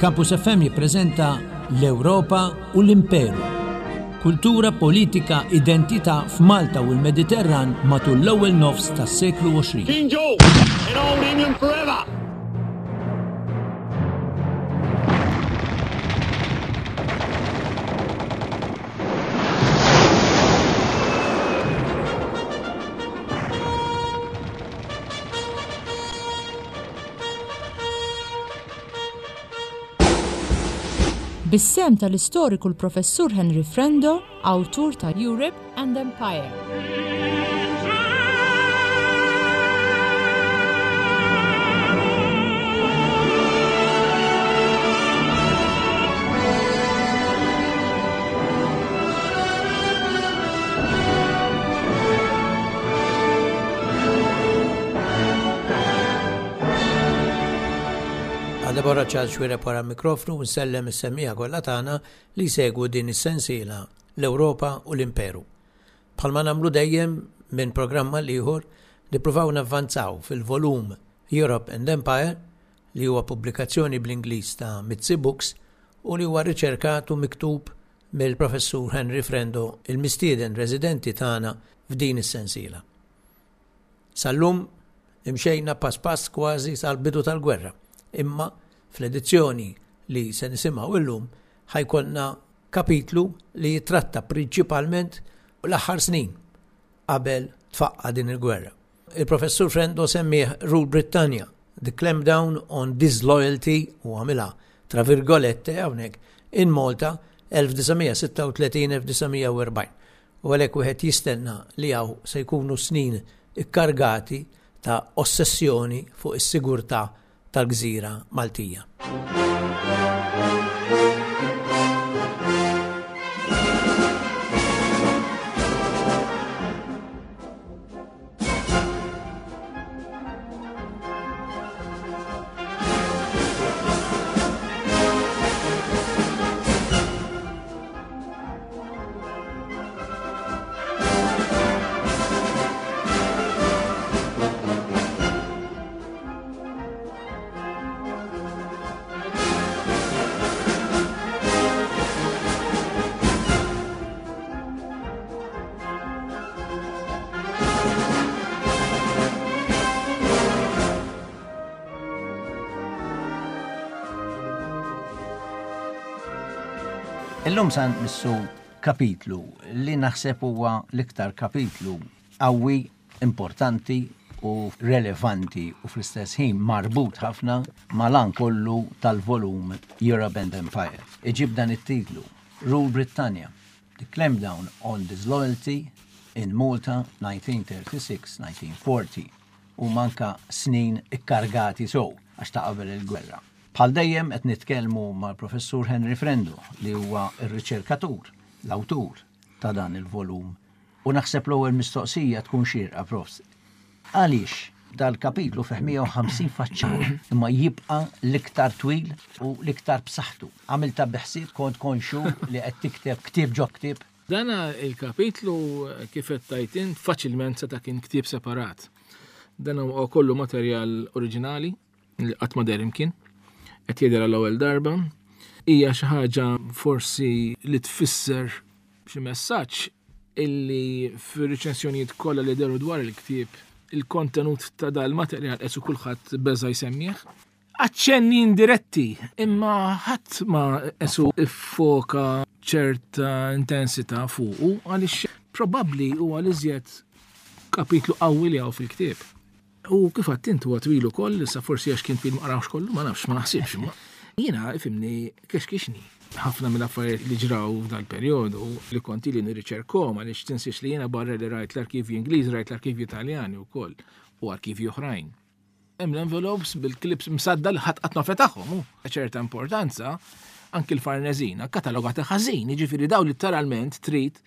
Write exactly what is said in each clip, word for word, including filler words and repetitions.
Campus F M jippreżenta L-Ewropa u l-Imperu. Kultura, politika, identità f'Malta u l-Mediterran matul l-ewwel nofs tas-seklu għoxrin. King George in Old England forever! Bis-sehem tal-istoriku l-Professur Henry Frendo, awtur ta' Europe and Empire. Deborah Charles Xuereb wara mikrofnu, nsellem is-semmiegħa kollha tagħna li jsegwu din is-sensiela L-Ewropa u l-Imperu. Bħalma nagħmlu dejjem minn programm għal ieħor, nippruvaw navvanzaw fil-volum Europe and Empire, li huwa pubblikazzjoni bl-Ingliż ta' Mizzi Books u li huwa riċerkat u miktub mill-Professur Henry Frendo, il-mistieden residenti tagħna f'din is-sensiela. Sal-lum imxejna pass pass kważi sal-bidu tal-gwerra, imma fl-edizzjoni li se nisimgħu illum ħa jkollna kapitlu li jitratta prinċipalment l-aħħar snin qabel tfaqqa din il-gwerra. Il-Professur Frendo semmih Rule Britannia, The Clampdown on Disloyalty, u għamilha tra virgolette hawnhekk, in Malta elf disa' mija sitta u tletin elf disa' mija u erbgħin. U għalhekk wieħed jistenna li hawn se jkunu snin ikkargati ta' ossessjoni fuq is-sigurtà tal-gżira Maltija. Illum san missu kapitlu li naħseb huwa l-iktar kapitlu qawwi, importanti u relevanti u fl-istess ħin marbut ħafna mal-għan kollu tal-volum Europe and Empire. Iġib dan it-titlu, Rule Britannia, The Clampdown on Disloyalty in Malta nineteen thirty-six nineteen forty, u manka snin ikkargati sew għax ta' qabel il-gwerra. Bħal dejjem qed nitkellmu mal-Professur Henry Frendo, li huwa ir-riċerkatur, l-awtur ta' dan il-volum. U naħseb l-ewwel mistoqsija tkun xierqa, Profs. Għaliex dal-kapitlu fih mija u ħamsin faċċata imma jibqa' l-iktar twil u l-iktar b'saħħtu? Għamilta bi ħsieb? Kont konxu li qed tikteb ktieb ġo ktieb? Dana il-kapitlu, kif qed tgħid int, faċilment seta' kien ktieb separat. Dan huwa kollu materjal oriġinali li qatt ma deher imkien. Qed jidher għall-ewwel darba. Hija xi ħaġa forsi li tfisser xi messaġġ illi fir-riċensjonijiet kollha li dehru dwar il-ktieb, il-kontenut ta' dal-materjal qesu kulħadd beża jsemmih. Aċċenni indiretti, imma ħadd ma esu iffoka ċerta intensità fuqu, għaliex probabbli huwa l-iżjed kapitlu qawwi li hawn fil-ktieb. U kif għedt int, huwa twil ukoll, issa forsi għax kien twil ma qrawx kollu, ma nafx, ma naħsibx, imma jiena ifhimni kexkixni. Ħafna mill-affarijiet li ġraw f'dal-perjodu li kont ili nirriċerkhom, għaliex tinsiex li jiena barra li rajt l-arkivji Ingliż, rajt l-arkivji Italjani wkoll u arkivji oħrajn. Hemm l-envelopes bil-clips msadda li ħadd qatt ma fetaħhom, hu. Ċerta importanza anki l-Farnesina katalogata ħażin, jiġifieri daw literalment trid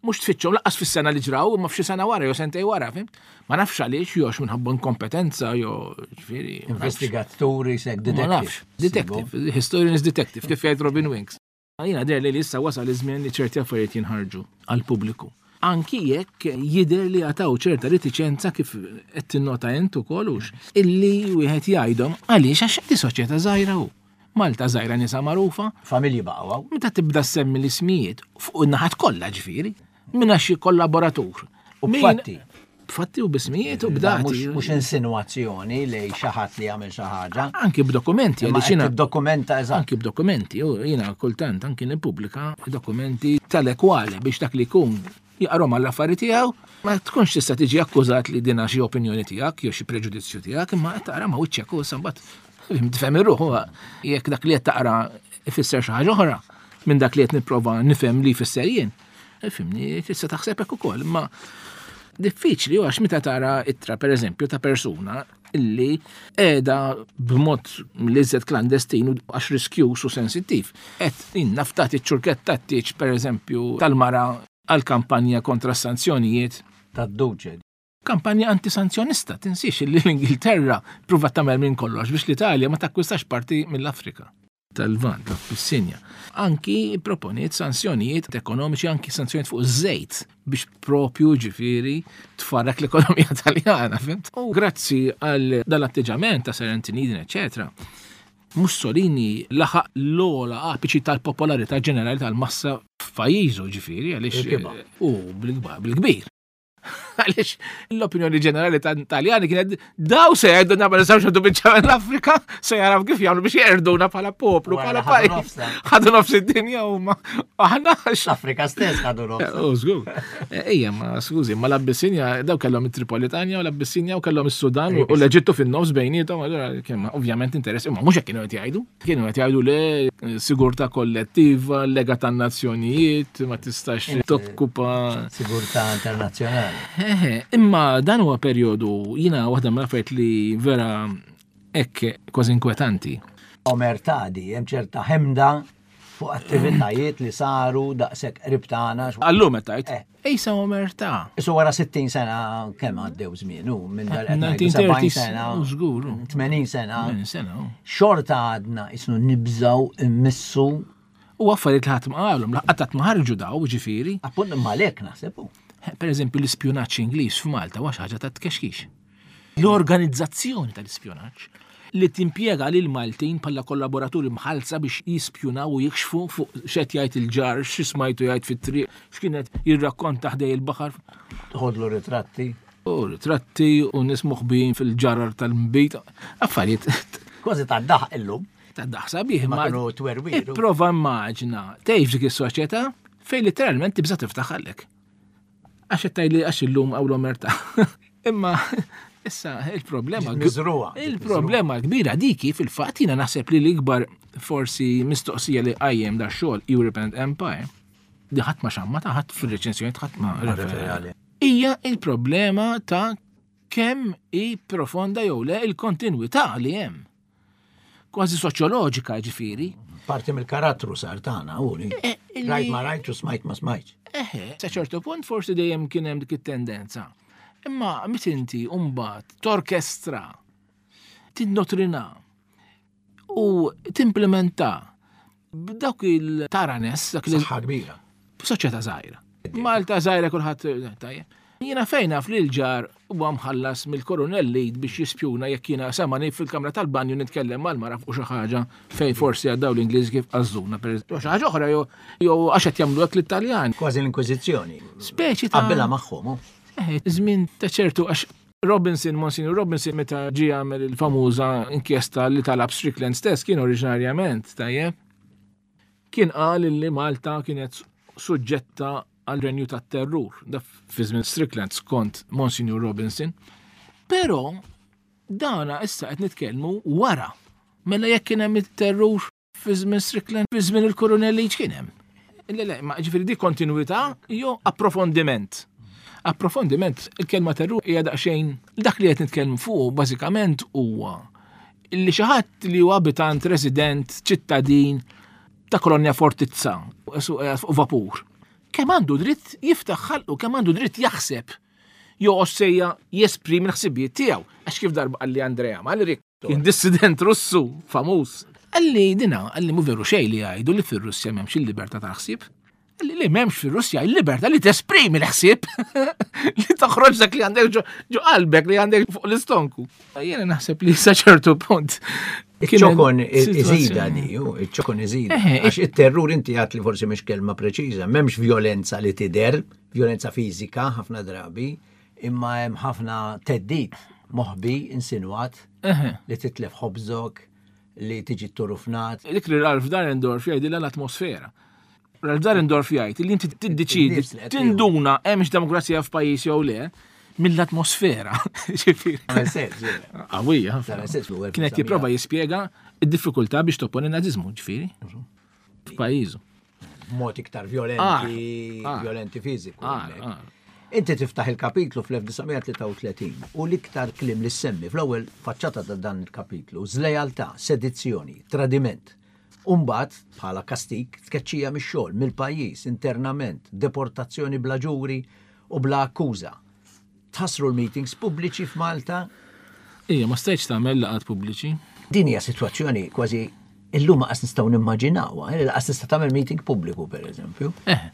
mhux tfittxhom lanqas fis-sena li ġraw, imma f'xi sena wara jew sentej wara, fhimt? Ma nafx għaliex, jew minħabba inkompetenza jew ġifieri ma nafx. Investigaturi sek Ma detective. Nafx. Detective, historian is detective, kif jgħid Robin Wings. Jiena deher li li issa wasal iż-żmien li ċerti affarijiet jinħarġu għall-pubbliku. Anki jekk jidher li għataw ċerta reticenza, kif qed tinnota int ukoll, hux illi wieħed jgħidhom, għaliex għax di soċjetà żgħira hu. Malta żgħira nisa magħrufa. Familji baqgħu. Meta tibda semmi l-ismijiet fuq in-naħat kollha ġifieri, minn xi kollaboratur. U b'fatti. B'fatti u b'ismijiet u b'dati. Mhux insinwazzjoni li xi ħadd li jagħmel xi ħaġa. Anki b'dokumenti. Għaliex dokumenta eżatt. Anki b'dokumenti, u jiena kultant anki nippubblika dokumenti tal-ekwali biex dak li jkun jaqrom għall-affari tiegħu, ma tkunx tista' tiġi akkużat li dina xi opinjoni tiegħek jew xi preġudizzju tiegħek, imma qed taqra ma' wiċċek u mbagħad tifhem ir-ruħ jekk dak li qed taqra ifisser xi ħaġa oħra minn dak li qed nipprova nifhem li jfisser jien. Fimni, tista' taħseb hekk ukoll, imma diffiċli għax meta tara ittra pereżempju ta' persuna illi qiegħda b'mod l-iżjed klandestin għax riskjuż u sensittiv. Qed innaftat iċ-ċurkett tat-tieġ pereżempju tal-mara għal kampanja kontra sanzjonijiet. Tad-Duċe. Kampanja antisanzjonista, tinsiex li l-Ingilterra pruvat tagħmel minn kollox biex l-Italja ma takkwistax parti mill-Afrika tal-Lvant, l-Abissinja. Anki proponiet sanzjonijiet ekonomiċi, anki sanzjonijiet fuq iż-żejt biex propju ġifieri tfarrak l-ekonomija Taljana, fimt? U grazzi għal dal-atteġġament ta' Sir Anthony Eden, eċetera, Mussolini laħaq l-ogħla apiċi tal-popolarità ġenerali tal-massa f'pajjiżu ġifieri għaliex u bil-kbir. Għaliex l-opinjoni ġenerali Taljani kienet daw se jgħiduna ma nistgħux għandu biċċa l-Afrika, se jaraw kif jagħmlu biex jerduna bħala poplu, bħala pajjiż. Ħadu nofs id-dinja huma. Aħna l-Afrika stess ħadu nofs. U żgur. Ejja, ma skużi, ma l-Abbissinja daw kellhom it-Tripolitanja u l-Abbissinja u kellhom is-Sudan u l-Eġittu fin-nofs bejniethom, allura kemm ovvjament interess, imma mhux hekk kienu qed jgħidu. Kienu qed jgħidu le sigurtà kollettiva, lega tan-nazzjonijiet, ma tistax tokkupa sigurtà internazzjonali. Imma dan huwa perjodu jiena waħda mill-affarijiet li vera hekk kważi inkwetanti. Omertà di, hemm ċerta ħemda fuq attivitajiet li saru daqshekk qrib tagħna. Allum qed tgħid. Ejsa omertà. Isu wara sittin sena kemm għaddew żmien hu minn dal qed ngħidu sebgħin sena. Żgur. tmenin sena. tmenin sena. Xorta għadna isnu nibżgħu immissu. U affarijiet li ħadd ma qalhom, qatt ma ħarġu daw ġifieri. Appunt imma għalhekk naħseb hu. Per eżempju, l-ispjunaġġ Ingliż f'Malta huwa xi ħaġa ta' tkexkix. L-organizzazzjoni tal-ispjunaġġ li timpjega lil Maltin bħala kollaboraturi mħallsa biex jispjunaw u jikxfu fuq x'qed jgħid il-ġar, x'ismajtu jgħid fit-triq, x'kienet jirrakkonta ħdej il-baħar. Tħodlu ritratti. U ritratti u nies moħbijin fil-ġarar tal-mbit. Affarijiet. Kważi ta' daħ illum. Ta' daħ sabiħ. Ma kienu twerwiru. Ipprova immaġina tgħix dik is-soċjetà fejn literalment tibża' tiftaħ għalek. Għax qed tgħidli għax illum hawn l-omertà. Imma issa il-problema il-problema kbira diki fil-fatt jiena naħseb li l-ikbar forsi mistoqsija li qajjem da xogħol Europe and Empire di ħadd ma xammata, ħadd fir-reċensjoni ħadd ma referali. Hija il-problema ta' kemm hi profonda jew le il-kontinwità li hemm. Kważi soċjoloġika ġifieri. Parti mill-karattru sar tagħna u li rajt ma rajtx u smajt ma smajtx. Eħe, sa ċertu punt forsi dejjem kien hemm dik it-tendenza. Imma meta inti mbagħad torkestra, tinnotrina u timplementa b'dawk il-taranes, dak li saħħa kbira. Soċjetà żgħira. Malta żgħira kulħadd tajjeb. Jiena fejn naf li l-ġar huwa mħallas mill-Koronel Lead biex jispjuna jekk jiena samani fil-kamra tal-banju nitkellem mal-mara fuq xi ħaġa fejn forsi għaddaw l-Ingliż kif għażżuna pereżempju. Xi ħaġa oħra jew għax qed jagħmlu hekk l-Italjan. Kważi l-Inkwiżizzjoni. Speċi ta' qabbilha magħhom. Żmien ta' ċertu għax Robinson, Monsignor Robinson meta ġie għamel il-famuża inkjesta li talab Strickland stess kien oriġinarjament tajjeb. Kien qal li Malta kienet suġġetta għal renju tat-terrur, da fi żmien Strickland skont Monsignor Robinson. Però dana issa qed nitkellmu wara. Mela jekk kien hemm it-terrur fi żmien Strickland, fi żmien il-Kurunell Leach kien hemm. Le, le, ma ġifieri di kontinwità jew approfondiment. Approfondiment, il-kelma terrur hija daqsxejn dak li qed nitkellmu fuq bażikament huwa li xi ħadd li huwa abitant, resident, ċittadin ta' kolonja fortizza fuq vapur. Kemm għandu dritt jiftaħ ħalqu, kemm għandu dritt jaħseb, jew ossejja jesprimi l-ħsibijiet tiegħu. Għax kif darba qalli Andrea Malrik, kien dissident Russu famuż. Qalli dina, qalli mhu veru xejn li jgħidu li fir-Russja m'hemmx il-libertà tal-ħsieb. Qalli li m'hemmx fir-Russja il-libertà li tesprimi l-ħsieb, li toħroġ dak li għandek ġo qalbek, li għandek fuq l-istonku. Jiena naħseb li sa ċertu punt Iċ-ċokon iżida di, iċ-ċokon iżida. Għax it-terrur inti għat li forsi mhix kelma preċiża, m'hemmx violenza li tidher, violenza fiżika ħafna drabi, imma hemm ħafna theddid moħbi insinwat li titlef ħobżok, li tiġi turufnat. Dik li Ralph Dahrendorf jgħidilha l-atmosfera. Ralph Dahrendorf jgħid li inti tiddeċidi, tinduna hemmx demokrazija f'pajjiż jew le, mill-atmosfera. Qawwija. Kienet jipprova jispjega id-diffikultà biex topponi n-naziżmu, ġifieri. F'pajjiżu. Mod iktar violenti, violenti fiżiku. Inti tiftaħ il-kapitlu fl-elf disa' mija tlieta u tletin u l-iktar kliem li semmi fl-ewwel faċċata ta' dan il-kapitlu, żlejaltà, sedizzjoni, tradiment. Umbagħad, bħala kastik, tkeċċija mix-xogħol, mill-pajjiż, internament, deportazzjoni bla ġuri u bla akkuża. Tħassru l-meetings pubbliċi f'Malta? Ija, ma stajtx tagħmel laqgħat pubbliċi. Din hija sitwazzjoni kważi illum ma qas nistgħu nimmaġinawha, eh, laqas tista' tagħmel meeting pubbliku pereżempju. Eh.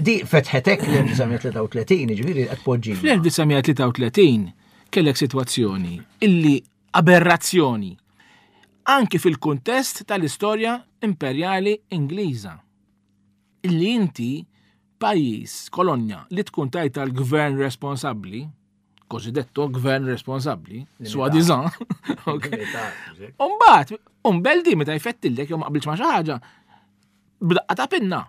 Di fetħetek l-elf disa' mija tlieta u tletin, jiġifieri qed poġġina. Fl-elf disa' mija tlieta u tletin kellek sitwazzjoni illi aberrazzjoni anki fil-kuntest tal-istorja imperjali Ingliża. Illi inti pajjiż, kolonja, li tkun tajta l-gvern responsabbli, cosiddetto gvern responsabbli, soi-disant, ok. Umbagħad, umbeldi meta jfettillek jew ma qbilx ma' xi ħaġa, b'daqqa ta' pinna,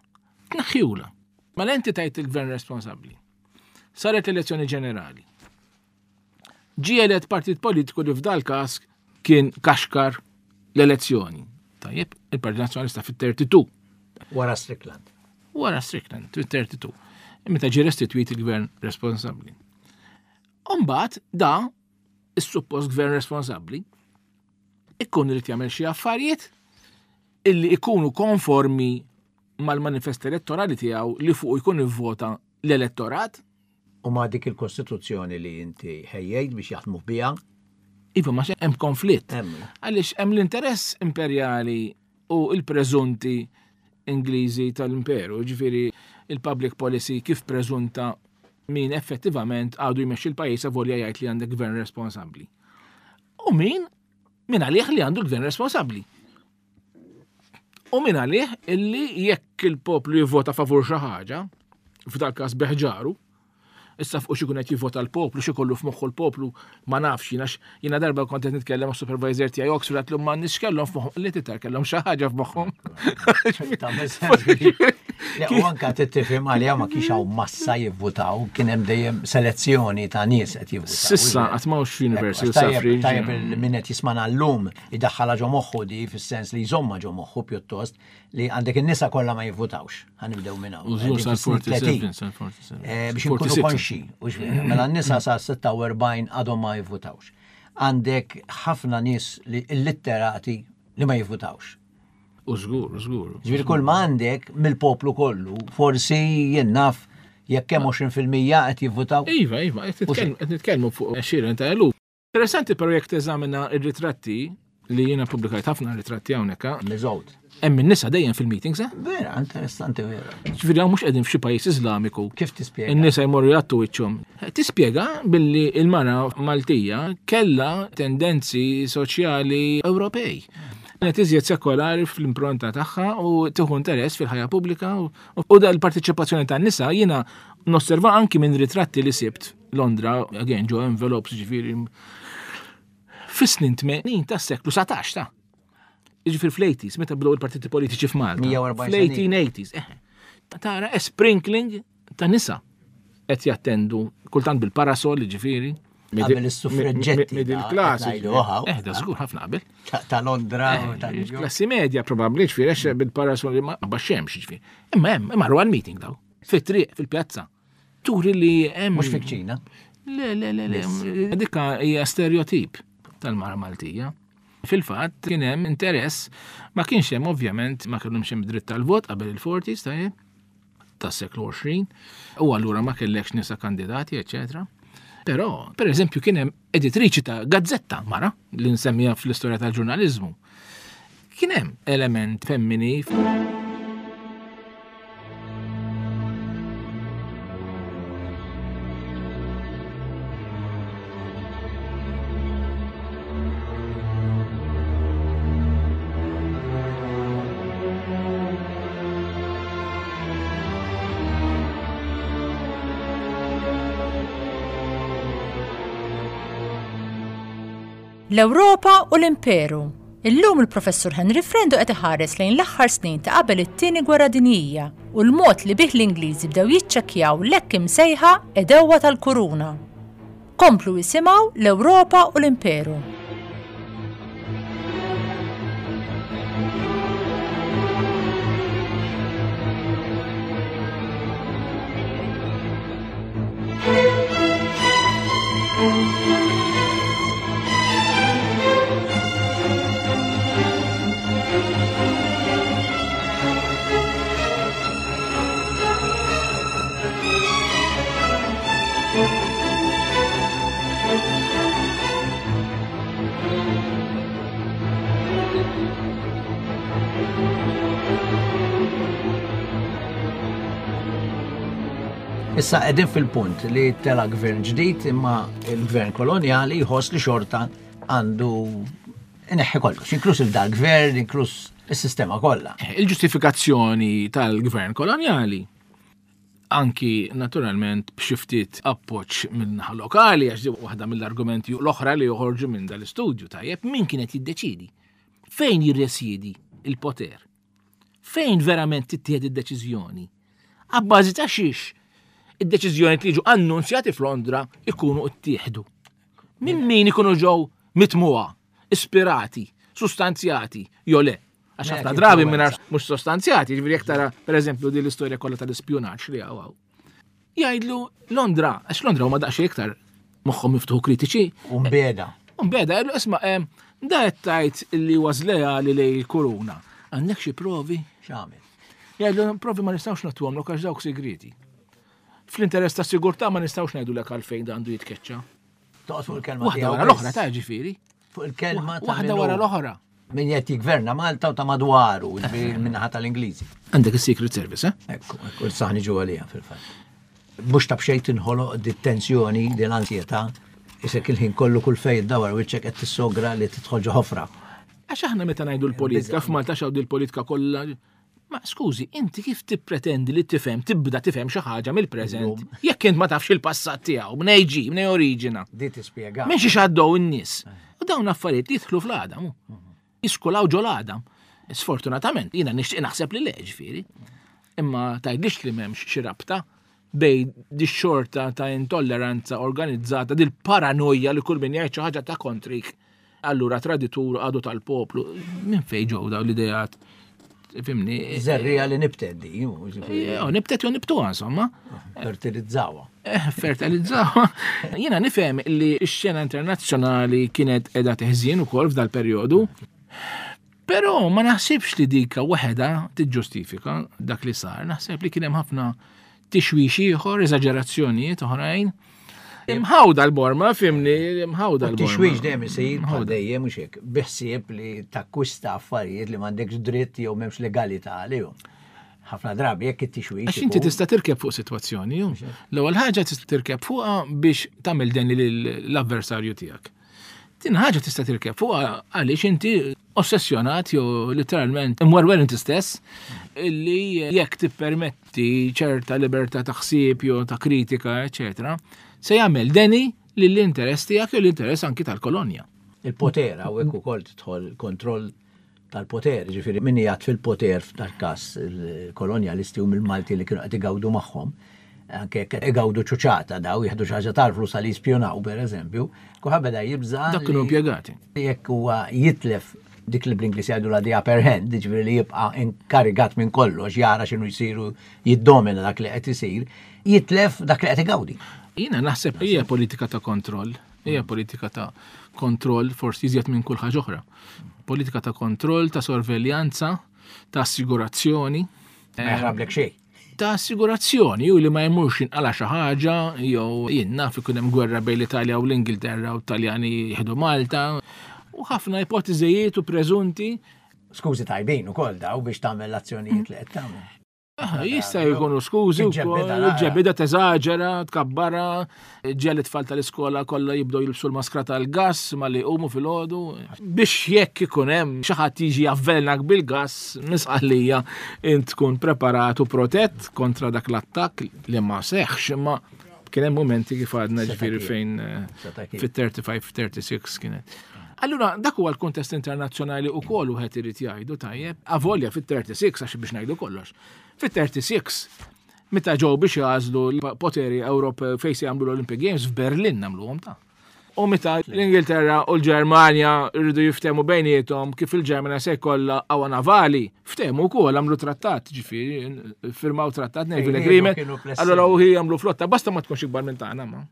tnaħħiwla. Mela inti tajt il-gvern responsabbli. Saret elezzjoni ġenerali. Ġie elett partit politiku li f'dal każ kien kaxkar l-elezzjoni. Tajjeb, il-Partit Nazzjonalista fit-thirty-two. Wara Strickland. Wara Strickland, fit-thirty-two. Meta ġie restituit il-gvern responsabbli. Umbagħad da, is-suppost gvern responsabbli, ikun irid jagħmel xi affarijiet illi ikunu konformi mal-manifest elettorali tiegħu li fuq jkun ivvota l-elettorat. U ma dik il-Kostituzzjoni li inti ħejjejt biex jaħdmu biha? Iva, ma hemm konflitt. Hemm. Għaliex hemm l-interess imperjali u l-preżunti Ingliżi tal-imperu, ġifieri il-public policy kif preżunta min effettivament għadu jmexxi l-pajjiż avolja jgħid li għandek gvern responsabbli. U min? Min għalih li għandu gvern responsabbli. U min għalih illi jekk il-poplu jivvota favur xi ħaġa, f'dal każ beħġaru, issa fuq xi jkun qed jivvota l-poplu, xi kollu f'moħħu l-poplu, ma nafx jiena x-, jiena darba kont qed nitkellem mas supervisor tiegħi Oxford għatlu ma nix kellhom f'moħħhom, li titar kellhom xi ħaġa f'moħħhom. Tagħmel sens. Le, u anka tifhem għalija ma kienx hawn massa jivvutaw, kien hemm dejjem selezzjoni ta' nies qed jivvutaw. Sissa qatt m'hawnx universal Ekku, tajjeb, suffrage. Tajjeb il-min qed jismana llum idaħħalha ġo moħħu di fis-sens li jżomma ġo moħħu pjuttost li għandek in-nisa kollha ma jivvutawx. Ħanibdew minn hawn. U żgur Qegħdin sal fis-snin forty-seven, tletin. sal forty-seven. Eh, biex inkunu Forty-six. konxi, u x'vera, mela n-nisa sa sitta u erbgħin għadhom ma jivvutawx. Għandek ħafna nies li illitterati li ma jivvutawx. U żgur, u żgur. Ġifieri kull ma għandek mill-poplu kollu, forsi jien naf jekk hemm għoxrin fil-mija qed jivvutaw. Iva, iva, qed nitkellmu, qed nitkellmu fuq għexieren ta' eluf. Interessanti però jekk teżamina r-ritratti li jiena ppubblikajt ħafna ritratti hawnhekk, ha? Miżgħud. Hemm in-nisa dejjem fil-meetings, eh? Vera, interessanti vera. Ġifieri hawn mhux qegħdin f'xi pajjiż Iżlamiku. Kif tispjega? In-nisa jmorru jgħattu wiċċhom. Tispjega billi il-mara Maltija kellha tendenzi soċjali Ewropej. Kienet iżjed sekolari fl-impronta tagħha u tieħu interess fil-ħajja pubblika u, u da l-parteċipazzjoni tan-nisa jiena nosserva anki minn ritratti li sibt Londra, again ġo envelopes ġifieri fis-snin tmenin tas-seklu satax ta'. Jiġifieri fl-eighties, meta bdew il-partiti politiċi f'Malta. Mija u erbgħin sena. Fl-eighteen eighties, eh. Tara a sprinkling ta' nisa qed jattendu kultant bil-parasol, ġifieri. Qabel is-suffraġġetti Middle ta' class, qed ngħidu, ġifieri. oħaw. Eh, da żgur ħafna qabel. Ta', ta' Londra u ta' New York. Klassi medja probabbli, ġifieri, għax bil-parasol ma baxxemx, ġifieri. Imma hemm, imma għal meeting daw. Fit-triq, fil-pjazza. Turi li hemm. Mhux fil-kċina. Le, le, le, le. Dikka hija stereotip tal-mara Maltija. Fil-fatt kien hemm interess, ma kienx hemm ovvjament, ma kellhomx hemm dritt tal-vot qabel il-forties, tajjeb, tas-seklu għoxrin, u allura ma kellekx nisa kandidati, eċċetera. Però, per eżempju, kien hemm editriċi ta' gazzetta mara, li nsemmija fl-istorja tal-ġurnaliżmu. Kien hemm element femmini. L-Ewropa u l-Imperu. Illum il-Professur Henry Frendo qed iħares lejn l-aħħar snin ta' qabel it-tieni gwerra dinjija u l-mod li bih l-Ingliżi bdew jiċċekkjaw l-hekk imsejħa għedewwa tal-kuruna. Komplu isimgħu l-Ewropa u l-Imperu. Issa qegħdin fil-punt li tela gvern ġdid imma il-gvern kolonjali jħoss li xorta għandu ineħħi kollox, inkluż il-dal-gvern, inkluż is-sistema kollha. Il-ġustifikazzjoni tal-gvern kolonjali anki naturalment b'xi ftit appoġġ min-naħa lokali, għax waħda mill-argumenti l-oħra li joħorġu minn dal-istudju, tajjeb, min kienet jiddeċidi? Fejn jirresjedi il-poter? Fejn verament tittieħed id-deċiżjoni? Abbażi ta' xiex id-deċiżjoni li jiġu annunzjati f'Londra ikunu ttieħdu. Minn min ikunu ġew mitmuha, ispirati, sustanzjati, jew le. Għax ħafna drabi mingħajr mhux sostanzjati, jiġifieri jekk tara pereżempju din l-istorja kollha tal-ispjunaġġ li hawn. Jgħidlu Londra, għax Londra huma daqsxejn iktar moħħhom miftuħ kritiċi. U mbeda. U mbeda, jgħidlu isma' da qed tgħid li huwa żleali lejn il-kuruna. Għandek xi provi? X'għamel? Jgħidlu provi ma nistgħux nagħtuhomlok għax dawk segreti. Fl-interess ta' sigurtà ma nistgħux ngħidulek għalfejn da għandu jitkeċċa. Toqgħod fuq il-kelma Waħda tiegħu wara l-oħra biss. ta' ġifieri. Fuq il-kelma ta' Waħda min wara hu. l-oħra. Min qed jigverna Malta u ta' madwaru, ġifieri min-naħa tal-Ingliżi. Għandek is-Secret Service, eh? Ekku, ekku, saħni ġu għalija fil-fatt. Mhux ta' b'xejn tinħoloq di tensjoni, di l-ansjetà, isek il-ħin kollu kull fejn iddawar wiċċek qed tissogra li tidħol ġo ħofra. Għax aħna meta ngħidu l-politika f'Malta x'hawn di l-politika kollha. Ma skużi, inti kif tippretendi li tifhem, tibda tifhem xi ħaġa mill-preżent, jekk int ma tafx il-passat tiegħu, minn ġi, minn oriġina. Di tispjega. Minn xi x'għaddew in-nies. U dawn affarijiet li jidħlu fl-għadam, jiskulaw ġol għadam. Sfortunatament, jiena nixtieq naħseb li le, ġifieri. Imma tgħidlix li m'hemmx xi rabta bej di xorta ta' intolleranza organizzata, dil paranoja li kull min jgħid xi ħaġa ta' kontrik. Allura traditur għadu tal-poplu, minn fejn ġew dawn l-idejat? Fimni? Żerrija li nibtet di, ġifieri. Jo, nibtet jew nibtuha, insomma. Fertilizzawha. Eh, fertilizzawha. Jiena nifhem li x-xena internazzjonali kienet qiegħda teħżien ukoll f'dal perjodu. Però ma naħsibx li dika waħedha tiġġustifika dak li sar. Naħseb li kien hemm ħafna tixwix ieħor, eżaġerazzjonijiet oħrajn. Imħawda l-borma, fimni, imħawda l-borma. Tixwix dejjem isir bħal dejjem mhux hekk, biħsieb li takkwista affarijiet li m'għandekx dritt jew m'hemmx legalità għalihom. Ħafna drabi jekk it-tixwix. Għax inti tista' tirkeb fuq sitwazzjoni, ju. L-ewwel ħaġa tista' tirkeb fuqha biex tagħmel deni lill-avversarju tiegħek. Tin ħaġa tista' tirkeb fuqha għaliex inti ossessjonat jew literalment imwerwer inti stess illi jekk tippermetti ċerta libertà ta' ħsieb jew ta' kritika, eċetera, se jagħmel deni lill-interess tiegħek jew l-interess anki tal-kolonja. Il-poter hawnhekk ukoll tidħol kontroll tal-poter, ġifieri min jgħid fil-poter f'dal-każ il-kolonjalisti u mill-Malti li kienu qed igawdu magħhom, anke jekk igawdu ċuċata daw jieħdu xi ħaġa tal-flus għal jispjunaw pereżempju, kulħadd beda jibża' Dak kienu li impjegati. Jekk huwa jitlef dik li bl-Ingliż jgħidu la the upper hand, ġifieri li jibqa' inkarigat minn kollox, jara x'inhu jsiru, jiddomina dak li qed isir, jitlef dak li qed igawdi. Jiena naħseb hija politika ta' kontroll, hija politika ta' kontroll forsi iżjed minn kull ħaġa oħra. Politika ta' kontroll, ta' sorveljanza, ta' assigurazzjoni. Ma jaħrablek xejn. Ta' assigurazzjoni, ju li ma jmurx inqala xi ħaġa, jew jien naf ikun hemm gwerra bejn l-Italja u l-Ingilterra u t-Taljani jieħdu Malta. U ħafna ipotiżijiet u preżunti. Skużi tajbin ukoll daw biex tagħmel l-azzjonijiet li qed tagħmel. Ah, jista' jkunu skużi Tiġġebbida wkoll, nara. ġebida teżaġera, tkabbara, ġel it-tfal tal-iskola kollha jibdew jilbsu l-maskra tal-gass malli jqumu filgħodu. Biex jekk ikun hemm xi ħadd jiġi javvelnak bil-gass, misqallija int tkun preparat u protett kontra dak l-attakk li ma seħħx, imma kien hemm momenti kif għadna Seta' ġifieri kien. fejn, eh, Seta' kien. fit-thirty-five, thirty-six kienet. Allura dak huwa l-kontest internazzjonali wkoll wieħed irid jgħidu tajjeb, avolja fit-thirty-six għax biex ngħidu kollox. Fit-thirty-six meta ġew biex jagħżlu l-poteri Ewropew fejn se jagħmlu l-Olympic Games f'Berlin nagħmluhom ta'. U meta l-Ingilterra u l-Ġermanja rridu jiftehmu bejniethom kif il-Ġermanja se jkollha qawwa navali, ftehmu wkoll għamlu trattat, ġifieri firmaw trattat, naval Ejja, agreement, kienu flessibbli. allura u hi jagħmlu flotta, basta ma tkunx ikbar minn tagħna ma.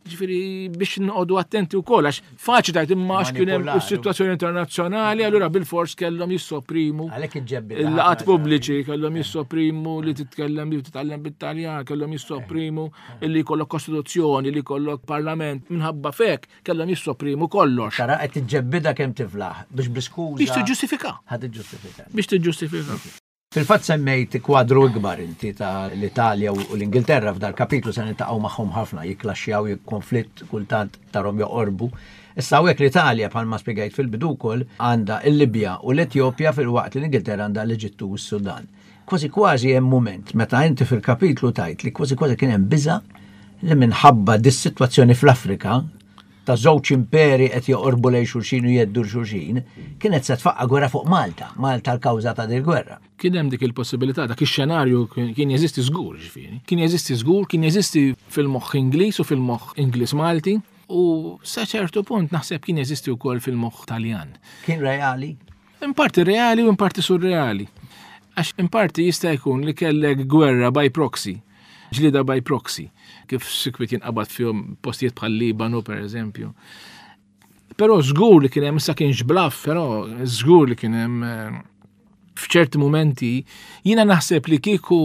Ġifieri biex noqogħdu attenti wkoll għax faċli tgħid imma għax kien hemm Manipolari. is-sitwazzjoni internazzjonali, allura bil-fors kellhom jissoprimu Għalhekk iġġebbi il-laqat ħafna pubbliċi, kellhom jissoprimu li titkellem li titgħallem bit-Taljan, kellhom jissoprimu li jkollok kostituzzjoni, li jkollok parlament, minħabba fek kellhom jissoprimu kollox. Tara qed tiġġebbidha kemm tiflaħ biex bl-iskuża. Biex tiġġustifika. Ħa tiġġustifika. Biex tiġġustifika. Fil-fatt semmejt kwadru ikbar inti ta' l-Italja u l-Ingilterra f'dal kapitlu se niltaqgħu magħhom ħafna, jikklaxxjaw, jikkonflitt kultant tarhom joqorbu. Issa hawnhekk l-Italja bħalma spjegajt fil-bidu wkoll għandha l-Libja u l-Etjopja fil-waqt li l-Ingilterra għandha l-Eġittu u s-Sudan. Kważi kważi hemm mument meta inti fil-kapitlu tajt li kważi kważi kien hemm biża' li minħabba dis-sitwazzjoni fl-Afrika ta' żewġ imperi qed joqorbu lejn xulxin u jeddu xulxin, kienet se tfaqqa gwerra fuq Malta, Malta l-kawża ta' dil gwerra. Kien hemm dik il-possibilità, dak ix-xenarju kien jeżisti żgur, ġifieri. Kien jeżisti żgur, kien jeżisti fil-moħħ Ingliż u fil-moħħ Ingliż Malti u sa ċertu punt naħseb kien jeżisti wkoll fil-moħħ Taljan. Kien reali? In parti reali u in parti surreali. Għax in parti jista' jkun li kellek gwerra by proxy, ġlieda by proxy, kif sikwit jinqabad fihom postijiet bħal Libanu per eżempju. Però żgur li kien hemm, issa kienx bluff, però żgur li kien hemm, eh, f'ċerti momenti jiena naħseb li kieku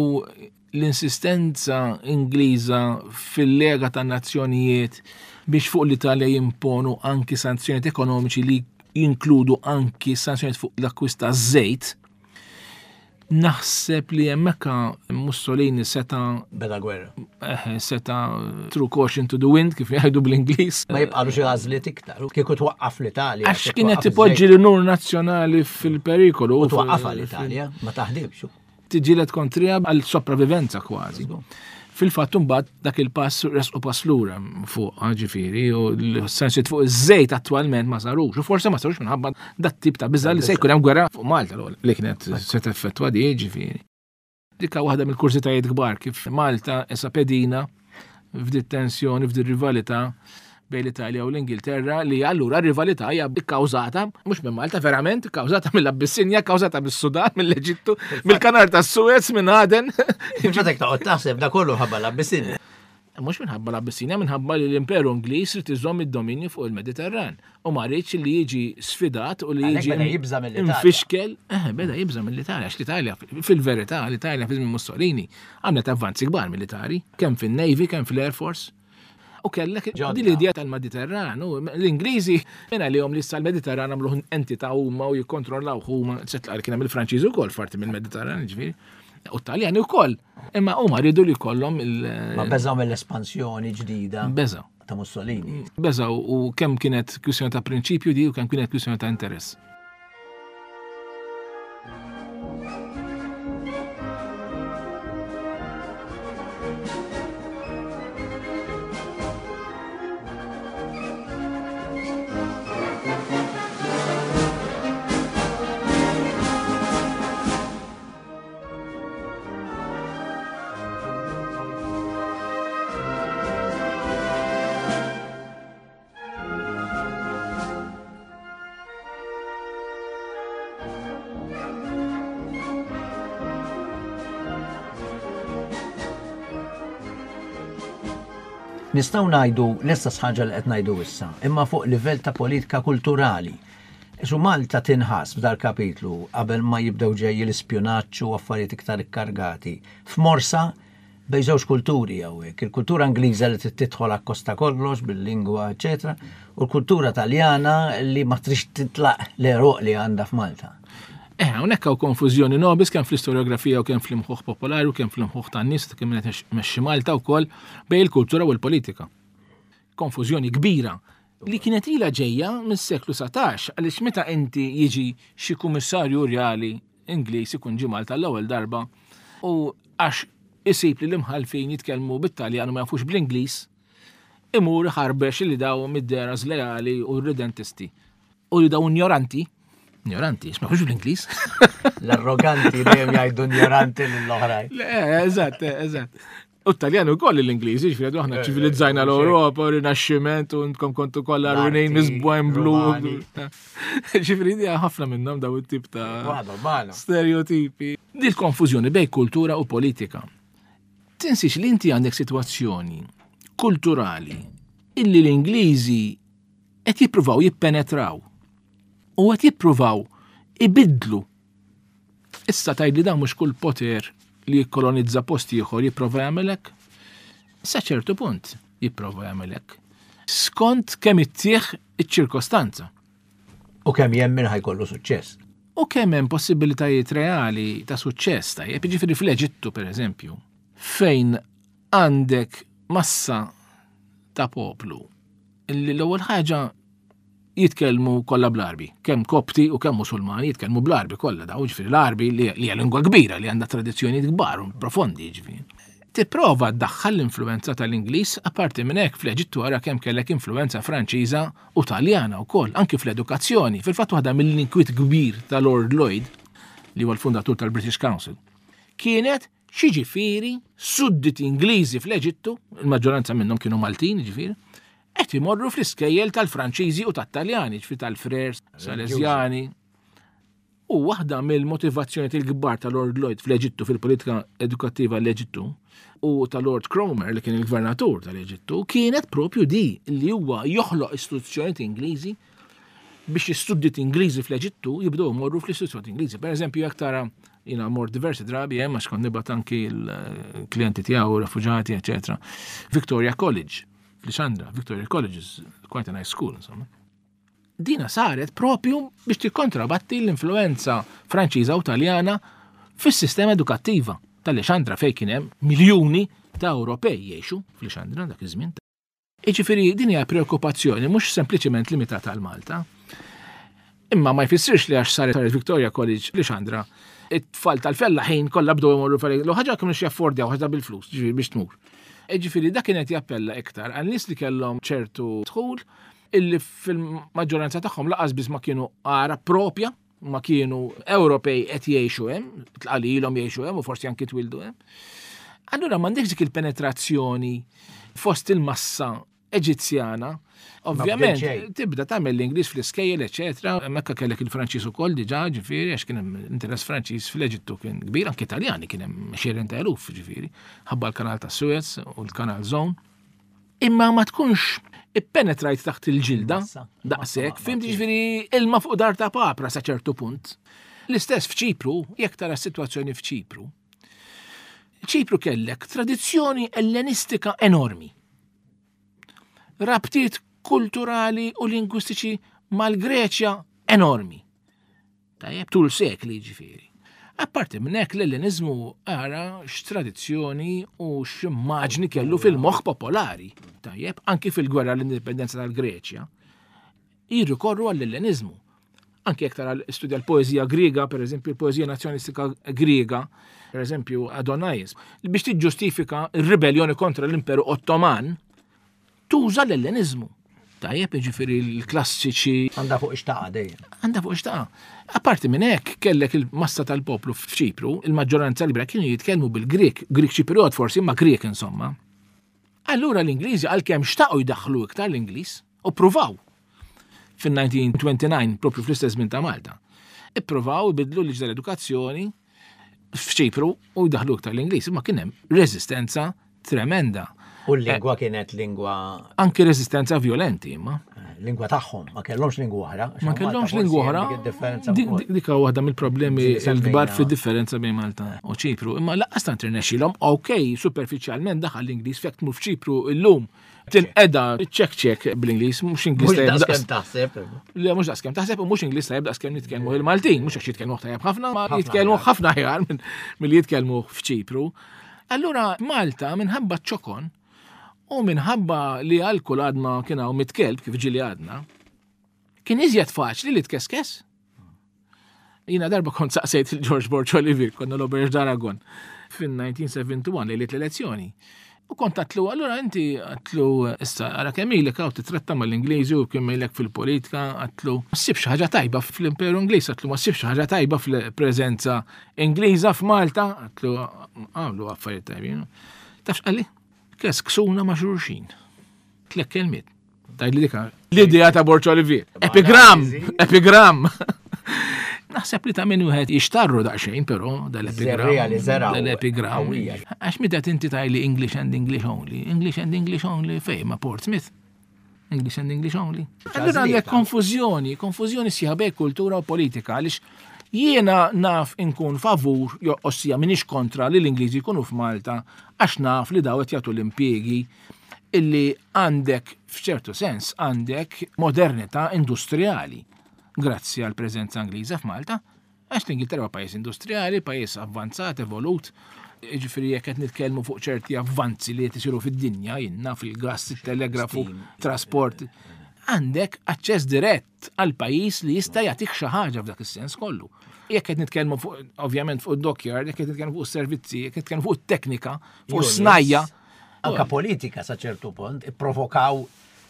l-insistenza Ingliża fil-Lega tan-Nazzjonijiet biex fuq l-Italja jimponu anki sanzjonijiet ekonomiċi li jinkludu anki sanzjonijiet fuq l-akkwist ta' żejt, naħseb li hemmhekk Mussolini seta' Beda gwerra. Eh, seta' threw caution to the wind, kif jgħidu bl-Ingliż. Ma jibqalu xi għażliet iktar. Kieku twaqqaf l-Italja. Għax kieku kienet twaqqaf tipoġġi iż-żejt. l-nur nazzjonali fil-perikolu. U twaqqafha l-Italja, ma taħdibx. Tiġilet kontrija għal sopravivenza kważi. Fil-fatt imbagħad dak il-pass resqu pass lura fuq, ġifieri, u l-sanzjonijiet fuq iż-żejt attwalment ma sarux, u forse ma sarux minħabba dat tip ta' biża' li se jkun hemm gwerra fuq Malta l-ewwel, li kienet se teffettwa di, ġifieri. Dikka waħda mill-kurżitajiet kbar kif Malta issa pedina f'dit tensjoni, f'dit rivalità bejn l-Italja u l-Ingilterra, li allura r-rivalità hija kkawżata mhux minn Malta verament, kkawżata mill-Abissinja, kkawżata mis-Sudan, mill-Eġittu, mill-Kanal tas-Suez, minn Aden. Fil-fatt hekk toqgħod taħseb da kollu ħabba l-Abissinja. Mhux minħabba l-Abissinja, minħabba li l-Imperu Ingliż irid iżomm id-dominju fuq il-Mediterran u ma rridx li jiġi sfidat u li Għalhekk jiġi beda jibża' mill-Italja. infixkel. Eh, beda jibża' mill-Italja, għax l-Italja fil-verità, l-Italja fi żmien Mussolini għamlet avvanzi kbar militari, kemm fin-Navy, kemm fil-Air Force. U kellek Ġodda. din l-idea tal-Mediterran, u l-Ingliżi minn għalihom li issa l-Mediterran għamluh entità huma u jikkontrollaw huma, eċetera, li kien hemm il-Franċiżi wkoll parti mill-Mediterran, ġifieri. U Taljani wkoll. Imma huma rridu li jkollhom il- Ma beżaw mill-espansjoni ġdida Beżaw. ta' Mussolini. Beżaw u kemm kienet kwistjoni ta' prinċipju di u kemm kienet kwistjoni ta' interess. Nistgħu ngħidu l-istess ħaġa li qed ngħidu issa, imma fuq livell ta' politika kulturali. Isu Malta tinħass f'dal kapitlu qabel ma jibdew ġej l-ispjunaġġ u affarijiet iktar ikkargati. F'morsa bejn żewġ kulturi hawnhekk, il-kultura Ingliża li trid tidħol akkosta kollox bil-lingwa, eċetera, u l-kultura Taljana li ma trix titlaq l-eruq li għandha f'Malta. Eh, hawnhekk hawn konfużjoni nobis kemm fl-istoriografija u kemm fl-imħuħ popolari u kemm fl-imħuħ tan-nies ta' kemm qed imexxi Malta wkoll bejn il-kultura u l-politika. Konfużjoni kbira li kienet ilha ġejja mis-seklu satax, għaliex meta inti jiġi xi kummissarju rjali Ingliż ikun ġie Malta l-ewwel darba u għax isib li l-imħalfin jitkellmu bit-Taljan u ma jafux bl-Ingliż, Imur ħarbex li daw mid-dera żleali u ridentisti. U li daw ignoranti, ignoranti, ma bl-Ingliż. L-arroganti dejjem jgħidu ignoranti lill-oħrajn. Le, eżatt, eżatt. U t-Taljan ukoll l-Ingliżi, ġifieri aħna eh, ċivilizzajna eh, l-Ewropa, Rinaxximent, u intkom kontu kollha rwinin misbwajn blu. Ġifieri di ħafna minnhom daw it-tip ta' stereotipi. Di l-konfużjoni bej kultura u politika. Tinsiex li inti għandek sitwazzjoni kulturali illi l-Ingliżi qed jippruvaw jippenetraw u qed jippruvaw ibidlu. Issa tgħid li dan mhux kull poter li jikkolonizza post ieħor jipprova jagħmel hekk? Sa ċertu punt jipprova jagħmel hekk. Skont kemm ittieħ iċ-ċirkostanza. U kemm jemmen ħajkollu suċċess. U kemm hemm possibilitajiet reali ta' suċċess tajjeb, jiġifieri fl-Eġittu pereżempju, fejn għandek massa ta' poplu li l-ewwel ħaġa jitkellmu kollha bl-Arbi, kemm Kopti u kemm Musulmani jitkellmu bl-Arbi kollha daw, ġifieri l-Arbi li hija lingwa kbira li għandha tradizzjonijiet kbar u profondi ġifieri. Tipprova ddaħħal l-influenza tal-Ingliż, apparti minn hekk fl-Eġittu ara kemm kellek influenza Franċiża u Taljana wkoll, anki fl-edukazzjoni. Fil-fatt waħda mill-inkwiet kbir ta' Lord Lloyd, li huwa l-fundatur tal-British Council, kienet x'jiġifieri sudditi Ingliżi fl-Eġittu, il-maġġoranza minnhom kienu Maltin, ġifieri, qed imorru fl-iskejjel tal-Franċiżi u tat-Taljani, ġifieri tal-Frers, Salesjani. U waħda mill-motivazzjoni il-kbar ta' Lord Lloyd fl-Eġittu, fil-politika edukattiva l-Eġittu, u ta' Lord Cromer li kien il-gvernatur tal-Eġittu, kienet propju di li huwa joħloq istituzzjonijiet Ingliżi biex is-sudditi Ingliżi fl-Eġittu jibdew imorru fl-istituzzjoni Ingliżi. Per eżempju, jekk tara jiena mort diversi drabi hemm għax kont nibgħat anki l-klijenti tiegħu, refuġati, eċetera. Victoria College, f'Lixandra, Victoria College is quite a nice school, insomma. Dina saret propju biex tikkontrabatti l-influenza Franċiża u Taljana fis-sistema edukattiva tal-Lixandra fejn kien hemm miljuni ta' Ewropej jgħixu f'Lixandra dak iż-żmien. Jiġifieri din hija preokkupazzjoni mhux sempliċement limitata għal Malta. Imma ma jfissirx li għax saret Victoria College Lixandra, it-tfal tal-fellaħin kollha bdew imorru fil L ħaġa kienu jaffordjaw ħaġa bil-flus, ġifieri biex tmur. Ġifieri dak kienet jappella iktar għal nies li kellhom ċertu dħul illi fil-maġġoranza tagħhom laqas biss ma kienu Għarab propja, ma kienu Ewropej qed jgħixu hemm, tqalilhom jgħixu hemm u forsi anki twildu hemm. Allura m'għandekx dik il-penetrazzjoni fost il-massa Eġizzjana. Ovvjament, tibda tagħmel l-Ingliż fl-iskejjel, eċetera. Hemmhekk kellek il-Franċiż ukoll diġà, ġifieri, għax kien hemm interess Franċiż fl-Eġittu kien kbir, anke Taljani kien hemm għexieren ta' eluf, ġifieri, ħabba l-kanal ta' Suez u l-kanal Zone. Imma ma tkunx ippenetrajt taħt il-ġilda, daqshekk, fimt ġifieri ilma fuq dar ta' papra sa ċertu punt. L-istess f'Ċipru, jekk tara s-sitwazzjoni f'Ċipru. Ċipru kellek tradizzjoni ellenistika enormi. Rabtiet kulturali u lingwistiċi mal-Greċja enormi. Tajjeb, tul sekli ġifieri. Apparti minn hekk l-Ellenizmu ara x'tradizzjoni u x'immaġni kellu fil-moħħ popolari. Tajjeb, anki fil-gwerra l-indipendenza tal-Greċja, jirrikorru għall-Ellenizmu. Anki jekk tara studja l-poeżija Griega, per eżempju, l-poeżija nazzjonistika Griega, per eżempju, Adonais, biex tiġġustifika r-ribellioni kontra l-Imperu Ottoman, tuża l-Ellenizmu. Tajjeb, jiġifieri l-klassiċi. Għandha fuq ixtaqa dejjem. Għandha fuq ixtaqa. Apparti minn hekk kellek il-massa tal-poplu f'Ċipru, il-maġġoranza libera kienu jitkellmu bil-Grek, Grek Ċipriot forsi, imma Grek insomma. Allura l-Ingliżi għalkemm xtaqu jdaħħlu iktar l-Ingliż u pruvaw fin-nineteen twenty-nine, propju fl-istess żmien ta' Malta. Ippruvaw ibidlu l-liġi tal-edukazzjoni f'Ċipru u jdaħħlu iktar l-Ingliż, imma kien hemm reżistenza tremenda. U l-lingwa kienet lingwa Anki reżistenza violenti, imma. Lingwa tagħhom, ma kellhomx lingwa oħra. Ma kellhomx lingwa oħra. Dik Dik waħda mill-problemi l-kbar fid-differenza bejn Malta u Ċipru. Imma laqqas tant irnexxilhom, ok, superfiċjalment daħal l-Ingliż fekk tmur f'Ċipru illum tinqeda ċek ċek bl-Ingliż, mhux Ingliż Mhux tajjeb daqs daqs kemm taħseb. Le, mhux daqs kemm taħseb u mhux Ingliż tajjeb daqs kemm nitkellmu il-Maltin, mhux għax jitkellmu tajjeb ħafna, ma Ħafna jitkellmu aħjar. ħafna aħjar minn milli jitkellmu f'Ċipru. Allura Malta minħabba ċokon u minħabba li għal kull għadma kien hawn mitt kelb kif ġieli għadna, kien iżjed faċli li tkeskes. Jiena darba kont saqsejt il-George Borg Olivier, konna l-Auberge d'Aragon, fin-nineteen seventy-one lejliet l-elezzjoni. U kont għedtlu, allura inti għedtlu, issa, ara kemm ilek hawn titratta mal-Ingliżi u kemm ilek fil-politika, għedtlu, ma ssibx ħaġa tajba fl-Imperu Ingliż, għedtlu, ma ssibx ħaġa tajba fil-preżenza Ingliża f'Malta, għedtlu, għamlu affarijiet tajbin. Taf x'qalli? Kesksuna ma' xulxin. Tliet kelmiet. Tgħidli dika. L-idea ta' Borg Olivier. Epigram! Epigram! Naħseb li ta' min wieħed jixtarru daqsxejn, però dal-epigram. Żerriegħa li żergħu Dal-epigram. qawwija. Għax meta inti tgħidli English and English only, English and English only fejn ma' Portsmouth. English and English only. Allura għandek konfużjoni, konfużjoni sħiħa bejn kultura u politika, għaliex jiena naf inkun favur, jo ossia minix kontra li l-Ingliżi jkunu f'Malta, għax naf li daw qed jagħtu l-impjiegi illi għandek f'ċertu sens għandek modernità industrijali grazzi għal preżenza Ingliża f'Malta, għax l-Ingilterra huwa pajjiż industrijali, pajjiż avvanzat, evolut. Ġifieri jekk qed nitkellmu fuq ċerti avvanzi li qed isiru fid-dinja, jinna fil-gas, il-telegrafu, trasport, għandek aċċess dirett għal pajjiż li jista' jagħtik xi ħaġa f'dak is-sens kollu. Jekk qed nitkellmu fuq ovvjament fuq id-dockyard, jekk qed nitkellmu fuq is-servizzi, jekk qed nitkellmu fuq it-teknika, fuq Unions. snajja. Anka politika sa ċertu punt, ipprovokaw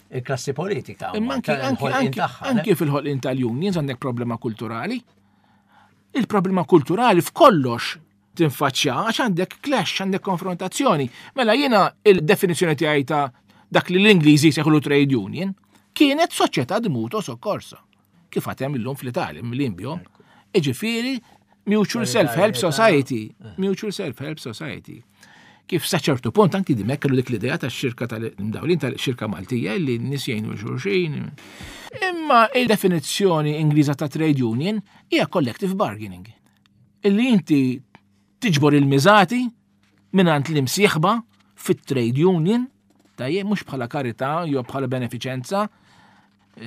il-klassi politika. Imma anki, anki, il-ħolqien anki, tagħha, ne? anki fil-ħolqien tal-unions għandek problema kulturali. Il-problema kulturali f'kollox tinfaċċja għax għandek clash, għandek konfrontazzjoni. Mela jiena il-definizzjoni tiegħi ta' dak li l-Ingliżi jsejħulu trade union kienet soċjetà di mutuo soccorso. Kif għad hemm illum fl-Italja, mill-Imbjom. Iġifieri Mutual Self-Help Society. Mutual Self-Help Society. Kif sa ċertu punt anki Dimech kellu dik l-idea ta' xirka tal-imdawlin tal-xirka Maltija li n-nies jgħinu xulxin. Imma il-definizzjoni Ingliża ta' trade union hija collective bargaining. Illi inti tiġbor il-miżati mingħand l-imsieħba fit-trade union, tajjeb mhux bħala karità jew bħala benefiċenza,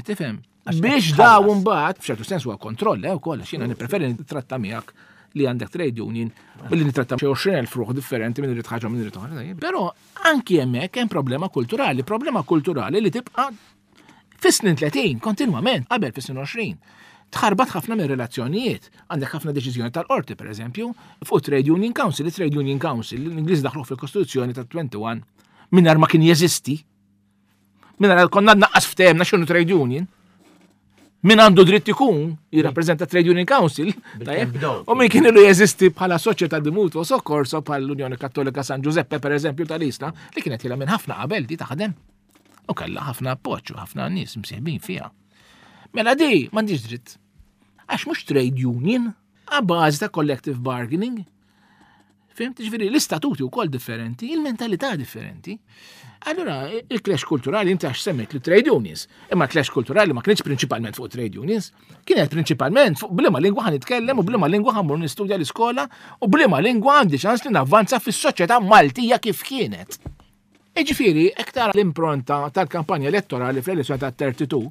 tifhem. Għax Biex qed daw tħallas. mbagħad f'ċertu sens huwa kontroll eh ukoll għax jiena nippreferi nittratta miegħek li għandek trade union u li nittratta xi għoxrin elf ruħ differenti minn irid ħaġa minn irid oħra. Tajjeb. Però anki hemmhekk hemm problema kulturali, problema kulturali li tibqa' fis-snin tletin kontinwament, qabel fis-snin għoxrin. Tħarbat ħafna minn relazzjonijiet. Għandek ħafna deċiżjoni tal-qorti, per eżempju, fuq Trade Union Council. Il-Trade Union Council, l-Ingliż daħlu fil-Kostituzzjoni ta' wieħed u għoxrin mingħajr ma kien jeżisti. Mingħajr konna naqqas ftehemna x'inhu trade union. Min għandu dritt ikun jirrappreżenta Trade Union Council, tajjeb? bdew. U min kien ilu jeżisti bħala soċjetà di mutuo soccorso bħal l-Unjoni Kattolika San Giuseppe per eżempju tal-Isla li kienet ilha minn ħafna qabel di taħdem. U kellha ħafna appoġġ u ħafna nies msieħbin fiha. Mela di m'għandix dritt. Għax mhux trade union, a bażi ta' collective bargaining. Fhimt, ġifieri, l-istatuti wkoll differenti, il-mentalità differenti. Allora, il-clash kulturali inti għax semmejt li trade unions. Imma clash kulturali ma kienx prinċipalment fuq trade unions, kienet prinċipalment fuq b'liema lingwa ħa nitkellem u b'liema lingwa ħa mmur nistudja l-iskola u b'liema lingwa għandi ċans li navvanza fis-soċjetà Maltija kif kienet. Iġifieri, iktar l-impronta tal-kampanja elettorali fl-elezzjoni ta' tnejn u tletin,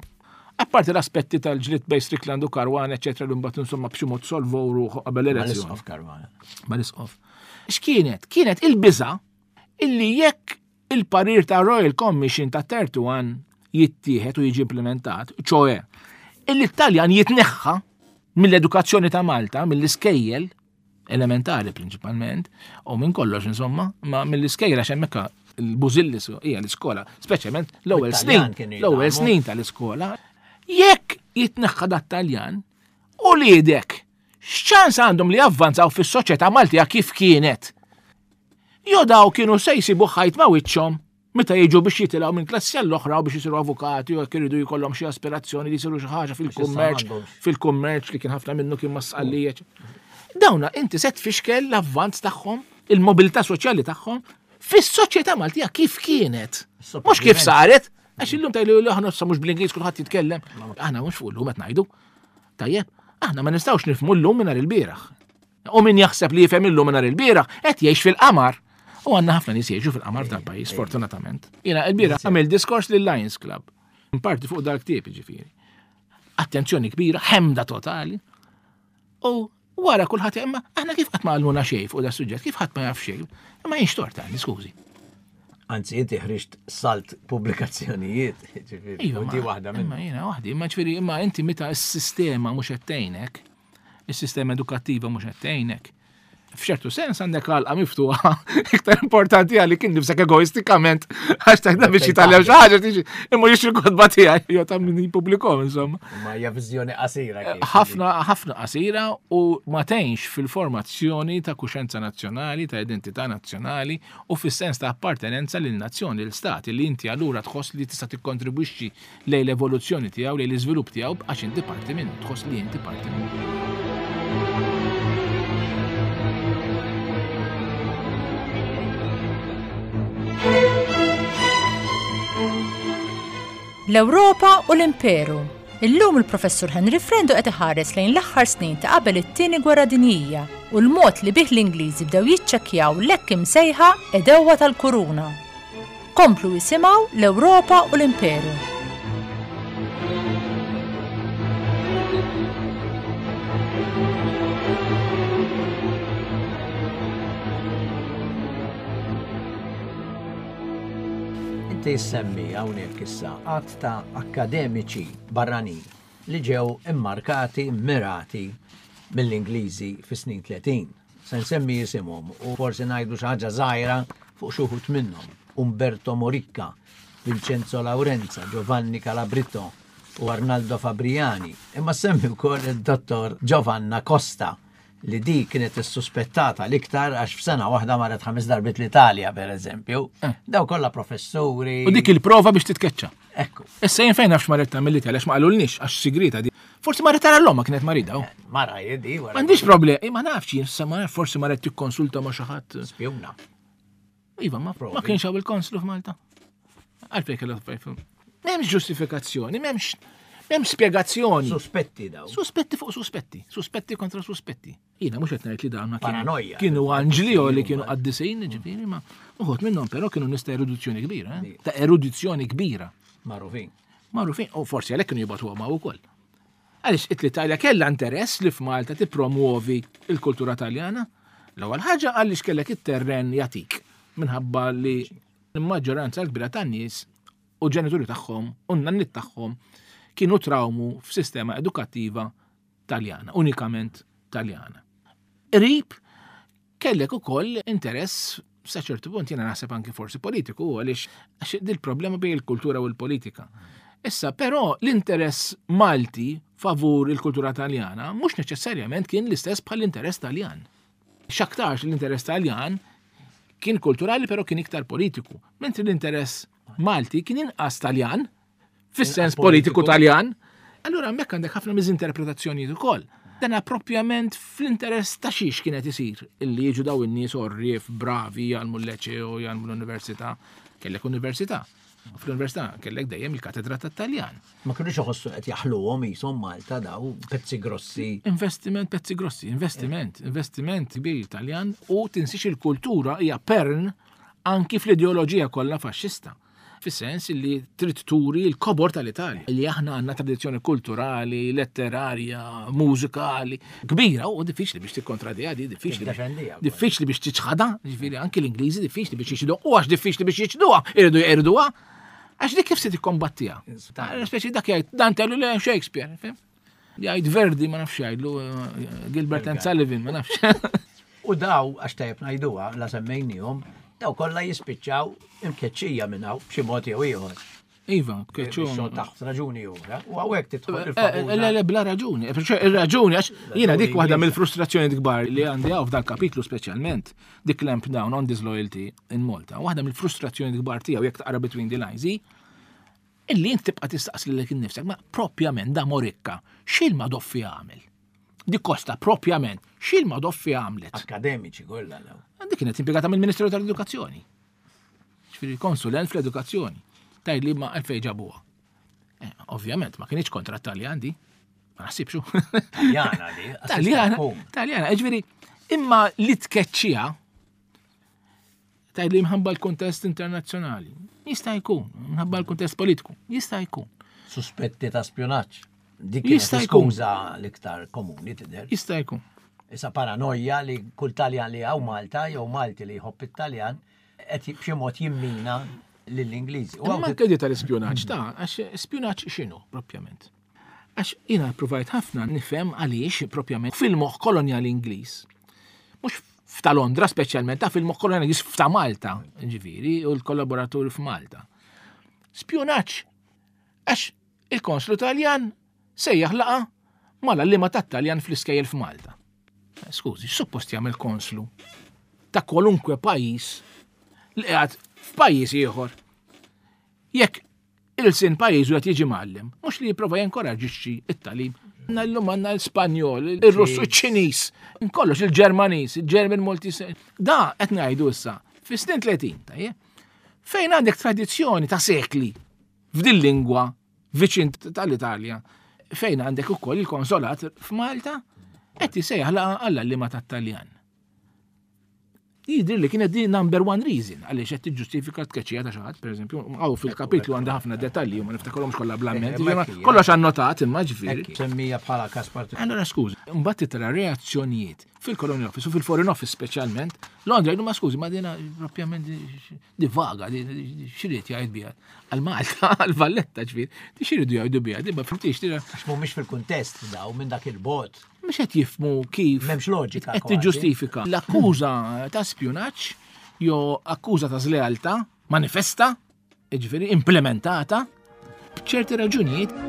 apparti l-aspetti tal-ġlied bejn Strickland u Caruana, eccetera, li mbagħad insomma b'xi mod solvow ruħu qabel l-elezzjoni. Mal-isqof Caruana. Mal-isqof. X'kienet? Kienet il-biża illi jekk il-parir ta' Royal Commission ta' wieħed u tletin jittieħed u jiġi implementat, ċoe, illi t-Taljan jitneħħa mill-edukazzjoni ta' Malta, mill-iskejjel, elementari prinċipalment, u minn kollox insomma, ma mill-iskejjel għax hemmhekk il-bużillis hija l-iskola, speċjalment l-ewwel Bit-Taljan snin, kienu l-ewwel jitgħallmu. snin tal-iskola, jekk jitneħħa dat-Taljan, u lidek, x'ċans għandhom li javvanzaw fis-soċjetà Maltija kif kienet? Jo daw kienu se jsibu ħajt ma' wiċċhom meta jiġu biex jitilgħu minn klassi għall-oħra u biex isiru avukati u jekk iridu jkollhom xi aspirazzjoni li jsiru xi ħaġa fil-kummerċ, m'għandhomx. fil-kummerċ li kien ħafna minnu kien ma' Sqallija. Dawna inti se tfixkel l-avvanz tagħhom, il-mobilità soċjali tagħhom fis-soċjetà Maltija kif kienet. Mhux kif saret, għax illum tgħidu li aħna issa mhux bl-Ingliż kulħadd jitkellem. Aħna mhux fuq illum qed ngħidu. Tajjeb, aħna ma nistgħux nifhmu llum mingħajr il-bieraħ. U min jaħseb li jifhem illum mingħajr il-bieraħ qed jgħix fil-qamar. U għandna ħafna nies jgħixu fil-qamar f'dal-pajjiż, fortunatament. Jiena il-bieraħ għamil diskors lil Lions Club. Parti fuq dal-ktieb ġifieri. Attenzjoni kbira, ħemda totali. U wara kulħadd imma aħna kif qatt ma għallmuna xejn fuq da suġġett, kif ħadd ma jaf xejn. Imma jienx tort għandi, skużi. Anzi, inti ħriġt salt pubblikazzjonijiet, ġifieri, Iva, u di ma- waħda minn. Imma jiena waħdi, imma ġifieri, imma inti meta s-sistema mhux qed tgħinek, is-sistema edukattiva mhux qed tgħinek. F'ċertu sens għandek għalqa miftuħa iktar importanti għalik kien nifsek egoistikament għax taħdem biex jitgħallem xi ħaġa tiġi imma jixtri kotba tiegħi jew ta' min jippubblikhom insomma. Ma hija viżjoni qasira kif. Ħafna ħafna qasira u ma tgħinx fil-formazzjoni ta' kuxenza nazzjonali, ta' identità nazzjonali u fis-sens ta' appartenenza lil nazzjoni, lil stat li inti allura tħoss li tista' tikkontribwixxi lejn l-evoluzzjoni tiegħu, lejn l-iżvilupp tiegħu għax inti parti minnu, tħoss li inti parti minnu. L-Ewropa u l-Imperu. Illum il-Professur Henry Frendo qed iħares lejn l-aħħar snin ta' qabel it-Tieni Gwerra Dinjija u l-mod li bih l-Ingliżi bdew jiċċekkjaw l-hekk imsejħa għedewwa tal-Kuruna. Komplu jisimgħu l-Ewropa u l-Imperu. Inti semmi hawnhekk issa għadd ta' akademiċi barranin li ġew immarkati, mirati mill-Ingliżi fis-snin tletin. Se nsemmi jisimhom u forsi ngħidu xi ħaġa żgħira fuq xi wħud minnhom. Umberto Moricca, Vincenzo Laurenza, Giovanni Calabritto u Arnaldo Fabriani. Imma semmi wkoll id-dottor Giovanna Costa li di kienet issuspettata l-iktar għax f'sena waħda marret ħames darbiet l-Italja, per eżempju. Eh. Daw kollha professuri. U dik il-prova biex titkeċċa. Ekku. Issa jien fejn nafx marret tagħmel l-Italja għax ma qalulniex għax sigrita di. Forsi marret tara l-omma kienet marida. Oh. Eh, mara jidi, wara. M'għandix problemi, ma nafx jien, sa ma nafx, forsi marret tikkonsulta ma' xi ħadd. Spjuna. Iva, ma, ma Provi. kienx hawn il-konslu f'Malta. Għalfejn kellha tfajf. M'hemmx ġustifikazzjoni, m'hemmx m'hemmx spjegazzjoni. Suspetti daw. Suspetti fuq suspetti, suspetti kontra suspetti. Jiena mhux qed ngħid li dawn ma kienu Paranoja. kienu anġli jew li kienu qaddisin, ġifieri, ma uħud minnhom però kienu nies ta' erudizzjoni kbira, eh? Ta' erudizzjoni kbira. Magħrufin. Magħrufin, u forsi għalhekk kienu jibgħatuhom hawn ukoll. Għaliex l-Italja kellha interess li f'Malta tippromuovi l-kultura Taljana. L-ewwel ħaġa għaliex kellek it-terren jatik minħabba li l-maġġoranza l-kbira tan-nies u ġenituri tagħhom u n-nanniet tagħhom kienu trawmu f'sistema edukattiva Taljana, unikament Taljana. Qrib kellek ukoll interess sa ċertu punt jiena naħseb anki forsi politiku, għaliex għax dil-problema bejn il-kultura u l-politika. Issa, però l-interess Malti favur il-kultura Taljana mhux neċessarjament kien l-istess bħal l-interess Taljan. X'aktarx l-interess Taljan kien kulturali però kien iktar politiku, mentri l-interess Malti kien inqas Taljan, fis-sens Inqas politiku. politiku Taljan. Allura hemmhekk għandek ħafna miżinterpretazzjonijiet ukoll. Dana propjament fl-interess ta' xiex kienet isir illi jiġu daw in-nies orrief bravi jgħallmu l-liceo, jgħallmu l-università. Kellek università. U fl-università kellek dejjem il-katedra tat-Taljan. Ma kienux iħossu qed jaħluhom qishom Malta daw pezzi grossi. Investiment pezzi grossi, investiment, investiment kbir Taljan u tinsix il-kultura hija pern anki fl-ideoloġija kollha faxxista. Fis-sens li trid turi l-kobor tal-Italja, li aħna għandna tradizzjoni kulturali, letterarja, mużikali, kbira, u diffiċli biex tikkontradiha di, diffiċli biex Tiddefendiha wkoll. diffiċli biex tiċħadha, ġifieri anki l-Ingliżi diffiċli biex jiċħduha, u għax diffiċli biex jiċħduha, iridu jqerduha, għax dik kif se tikkombattiha. Speċi dak jgħid Dante le Shakespeare, fim? Jgħid Verdi ma nafx jgħidlu, eh, Gilbert and Sullivan ma nafx. U daw, għax tajjeb ngħiduha, la semmejnihom, daw kollha jispiċċaw imkeċċija minn hawn b'xi mod jew ieħor. Iva, keċċu. Biex taħt raġuni oħra. U hawnhekk tidħol Eh, eh, il-famuża. Le, le, bla raġuni. Eh, perciò Ir-raġuni, għax jiena dik waħda Ingliża. mill-frustrazzjoni kbar li għandi hawn f'dan kapitlu speċjalment, di clamp down on disloyalty in Malta. Waħda mill-frustrazzjoni kbar tiegħu jekk taqra between the lines hi illi int tibqa' tistaqsi lilek innifsek, ma propjament da Moricca, x'il ma doffi għamel? Di Costa propjament, x'il ma doffi għamlet? Akademiċi kollha daw. Dik kienet impjegata mill-Ministeru tal-Edukazzjoni. Ġifieri konsulent fl-edukazzjoni. Tgħid li ma għalfejn ġabuha. Eh, ovvjament, ma kienx kontra Taljan di. Ma naħsibxu. Taljana di. Taljana, Taljana, ġifieri, imma li tkeċċija tgħid li mħabba l-kontest internazzjonali. Jista' jkun, mħabba l-kontest politiku. Jista' jkun. Suspetti ta' spjonaġġ. Dik kienet Jista' jkun. skuża l-iktar komuni tidher. Jista' jkun. Issa paranoja li kull Taljan li hawn Malta jew Malti li jħobb it-Taljan qed b'xi mod jimmina lill-Ingliżi. U Imma hawn anke di tal-ispjunaġġ ta' għax spjunaġġ x'inhu propjament. Għax jiena provajt ħafna nifhem għaliex propjament fil-moħħ kolonjali Ingliż. Mhux F'ta' Londra speċjalment, ta' fil-moħħ koloniali f'ta' Malta, ġifieri, u l-kollaboraturi f'Malta. Spjunaġġ. Għax il-konslu Taljan sejjaħ laqa mal-għalliema tat-Taljan fl-iskejjel f'Malta. Skużi, suppost jagħmel konslu ta' kwalunkwe pajjiż li qiegħed f'pajjiż ieħor. Jekk il-sin pajjiżu qed jiġi mgħallem, mhux li jipprova jinkoraġġixxi it-tagħlim. Għandna llum għandna l-Spanjol, il-Russu, iċ-Ċiniż, kollox il-Ġermaniż, il-German multi. Da qed ngħidu issa fis-snin tletin, tajjeb. Fejn għandek tradizzjoni ta' sekli f'din lingwa viċin tal-Italja, fejn għandek ukoll il-konsolat f'Malta qed isejjaħ laqa għall-għalliema tat-Taljan. Jidher li kienet di number one reason għaliex qed tiġġustifika t-tkeċċija ta' xi ħadd, pereżempju, hawn fil-kapitlu għandha ħafna dettalji u ma niftakarhomx kollha bl-amment, kollox annotat imma ġifieri. Semmija bħala każ partikolari. Allora skużi, mbagħad titra reazzjonijiet fil-Colonial Office u fil-Foreign Office speċjalment, Londra jgħidu ma skużi, ma dina propjament di vaga, di x'irid jgħid biha. Għal Malta, għal Valletta ġifieri, di x'iridu jgħidu biha, di ma fimtix, di Għax mhumiex fil-kuntest daw minn dak il-bot. Mhux qed jifhmu kif M'hemmx loġika qed kważi. tiġġustifika l-akkuża ta' spjunaġġ jew akkuża ta' żlealtà manifesta, jiġifieri implementata b'ċerti raġunijiet.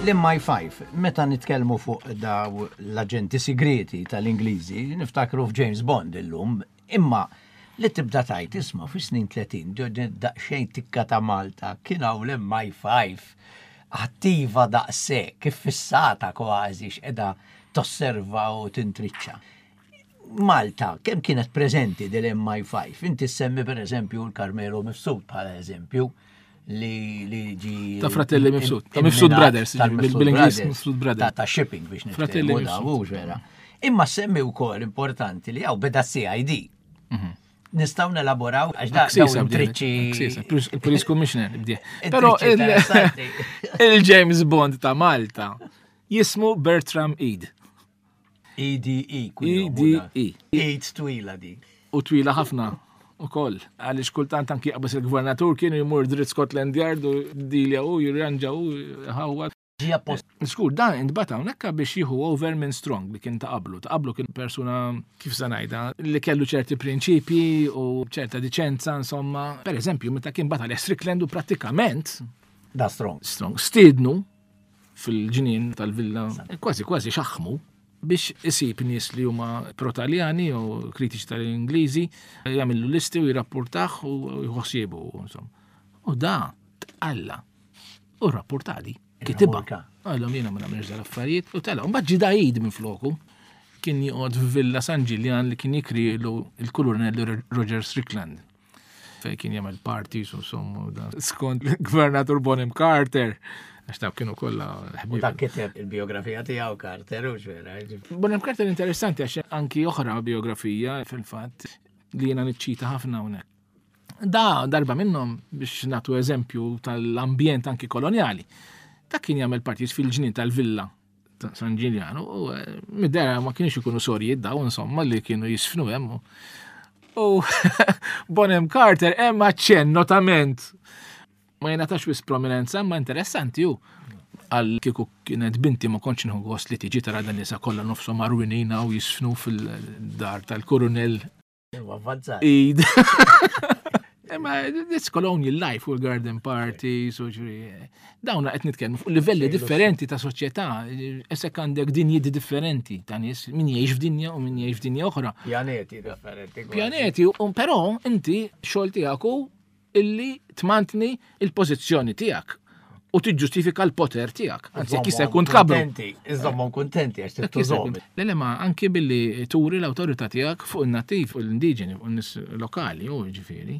L-M I five, meta nitkellmu fuq daw l-aġenti segreti tal-Ingliżi, niftakru f'James Bond illum, imma li tibda tajt isma' fi snin tletin, daqsxejn tikka ta' Malta, kien hawn l-M I five attiva daqshekk, kif fissata kważi x'qeda tosserva u tintriċċa. Malta, kemm kienet preżenti dil-M I five? Inti semmi per eżempju l-Carmelo Mifsud bħala eżempju. Li, li ġi Ta' Fratelli in- Mifsud, ta' in- Mifsud imminat Brothers, tal-Mifsud bil-Ingliż Brothers. Mifsud Brothers. Ta', ta' shipping biex niftehmu Fratelli da, Mifsud. mhux vera. Imma semmi wkoll importanti li hawn beda C I D. Mhm. Nistgħu nelaboraw għax da Aksisa dawn bdiet, intriċċi Aksisa, il-Police, il-Police Commissioner bdiet. Intriċċi Però il- interessanti. il-James Bond ta' Malta jismu Bertram Eade. E D E, kuljum, E D da. E. Eade twila di. U twila ħafna. U koll, għalix kultant anki jaqbas il-gvernatur kienu jmur dritt Scotland Yard u dilja u jirranġa u ħawwa. Ġi appost. Skur, dan intbata hawnhekk biex jieħu over minn Strong li kien ta' qablu. Ta' qablu kien persuna, kif se ngħidha, li kellu ċerti prinċipji u ċerta diċenza, insomma. Per eżempju, meta kien bata li Strickland u prattikament Da Strong. Strong stiednu fil-ġnien tal-villa, kważi kważi xaħmu biex isib nies li huma pro-Taljani u kritiċi tal-Ingliżi, jagħmlu listi u jirrapportah u jħossiebu, insomma. U da tqalla u rrapportali. Kitibha. Irramurka. Għallhom jiena ma nagħmilx dal-affarijiet u tela. Mbagħad ġie Daid minn floku. Kien joqgħod f'Villa San Ġiljan li kien jikrilu il-Kolonellu Roger Strickland. Fej kien jagħmel parties u sommu da. Skont il-Gvernatur Bonham Carter. Għax daw kienu kollha U ħbieb. dak kiteb il-biografija tiegħu Carter u x'vera. Bonham Carter interessanti għax anki oħra biografija fil-fatt li jiena niċċita ħafna hawnhekk. Da darba minnhom biex nagħtu eżempju tal-ambjent anki koloniali. Dak kien jagħmel parties fil-ġnien tal-villa ta' San Ġiljan u, eh, mid-dera ma kienx ikunu sorijiet daw insomma li kienu jisfnu hemm. U Bonham Carter hemm aċċenn notament ma jingħatax wis prominenza, ma interessanti hu. Għal kieku kienet binti ma kontx nieħu gost li tiġi tara dan nisa kollha nofshom marwinina u jisfnu fil-dar tal-Kurunell Huwa avvanzat. Eid. Imma it's colonial life u l-garden parties u ġri. Dawn qed nitkellmu fuq livelli differenti ta' soċjetà, isek għandek dinji differenti ta' nies, min jgħix f'dinja u min jgħix f'dinja oħra. Pjaneti differenti kważi. Pjaneti, u però inti xogħol tiegħek hu illi tmantni il-pożizzjoni tiegħek u tiġġustifika l-poter tiegħek. Anzi, jekk jista' jkun tkabru. Kontenti, iżommhom kuntenti għax Jekk jista' tittużhom. jkun. Le, le, ma anki billi turi l-awtorità tiegħek fuq in-nattiv, fuq l-indiġeni, fuq in-nies lokali, u ġifieri.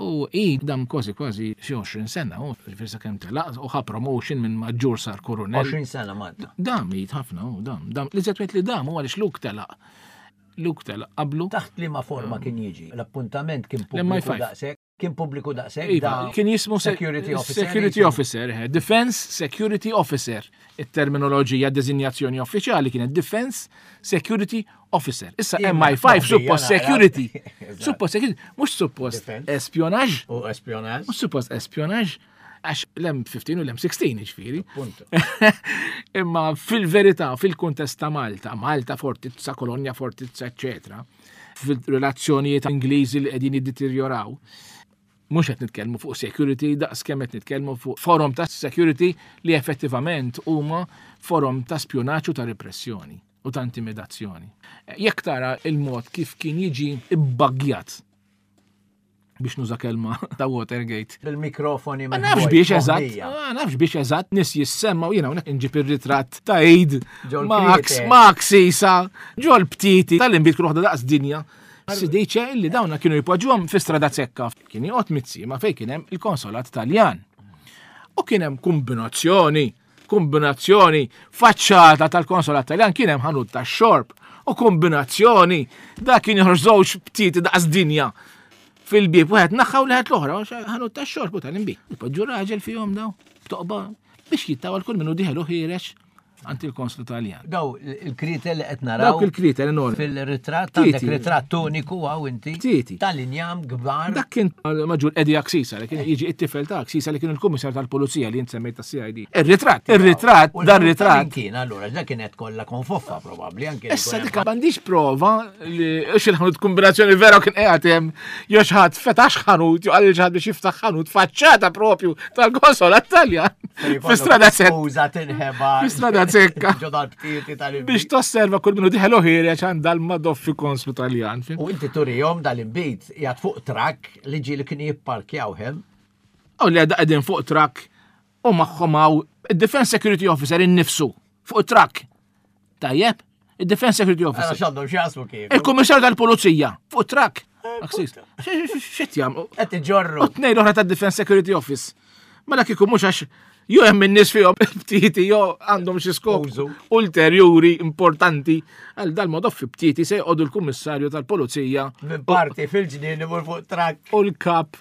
U i dam kważi kważi xi għoxrin sena, u ġifieri sakemm telaq, u ħa promotion minn maġġur sar kurunell. Għoxrin sena Malta. Dam jgħid ħafna, u dam, dam. Li żed li dam u għaliex Luke telaq. Luke telaq qablu. Taħt liema forma kien jiġi? L-appuntament kien L-M I pubbliku five. daqshekk? Kien pubbliku daqshekk Iva, kien jismu Security Officer. Security Officer, eh, Defense Security Officer. Il-terminoloġija designazzjoni uffiċjali kienet Defense Security Officer. Issa M I five suppost security. Suppost security, mhux suppost espionaġġ. U espionaġġ. Mhux suppost espionaġġ għax l-M fifteen u l-M sixteen ġifieri. Imma fil-verità, fil-kuntest ta' Malta, Malta fortizza, kolonja fortizza, eccetera, fil-relazzjonijiet Ingliżi li qegħdin jiddeterjoraw, mhux qed nitkellmu fuq security daqs kemm qed nitkellmu fuq forom ta' security li effettivament huma forom ta' spjonaġġ u ta' repressjoni u ta' intimidazzjoni. Jekk tara il-mod kif kien jiġi ibbaggjat, biex nuża kelma ta' Watergate. Bil-mikrofoni. Ma nafx biex eżatt, ma nafx biex eżatt nies jissemma u jiena hawnhekk inġib ir-ritratt ta' Eid Max, Max Isa, ġol btiti tal-inbit kull waħda daqs dinja. Si dice illi dawna kienu jpoġġuhom fi Strada Zekka. Kien joqgħod Mizzi ma fejn kien hemm il-konsolat Taljan. U kien hemm kombinazzjoni, kombinazzjoni faċċata tal-konsolat Taljan kien hemm ħanut tax-xorb u kombinazzjoni da kien joħroġ żewġ btiti daqs dinja fil-bib, wieħed naħħa u leħet l-oħra, ħanut tax-xorb u tal-inbid. Ipoġġu raġel fihom daw, b'toqba biex jittawal kull minnu dieħel u ħiereġ għand il-konslu Taljan. Daw il-kritel li qed naraw. Dawk il-kritel enormi. Fil-ritratt għandek ritratt uniku għaw inti. Btieti. Tal-injam kbar. Dak kien maġġur Eddie Axisa li kien jiġi it-tifel ta' Axisa li kien il-kummissar tal-Pulizija li jint semmejt ta' C I D. Ir-ritratt, ir-ritratt, dar ritratt. Kien allura dak kienet kollha konfoffa probabbli anke. Issa dik m'għandix prova li xi ħanut kombinazzjoni vera kien qiegħed hemm jew xi ħadd fetax ħanut jew qal xi ħadd biex jiftaħ ħanut faċċata propju tal-konsolat Taljan. Fi Strada Zekka. Uża tinħeba. Fi Strada Zekka. Ġo dal-btieti tal Biex tosserva kull minnu dieħel u ħiereġ għand dal-madoffi konslu Taljan. U inti turihom dal-inbid jgħat fuq trakk li ġi li kien jipparkjaw hemm. U li għadha qegħdin fuq trakk u magħhom hawn id-Defense Security Officer innifsu fuq trakk. Tajjeb, id-Defense Security Officer. X'għandhom x'jaqsmu kif. Il-Kummissarju tal-Pulizija fuq trakk. X'qed jagħmlu? Qed iġorru. U tnejn oħra tad-Defense Security Office. Mela kieku mhux għax jew hemm in-nies fihom btieti jew għandhom xi skop ulterjuri importanti għal dal-modoffi btieti se jqogħdu l-Kummissarju tal-Pulizija. Minn parti fil-ġnien imur fuq trakk. U l-kap,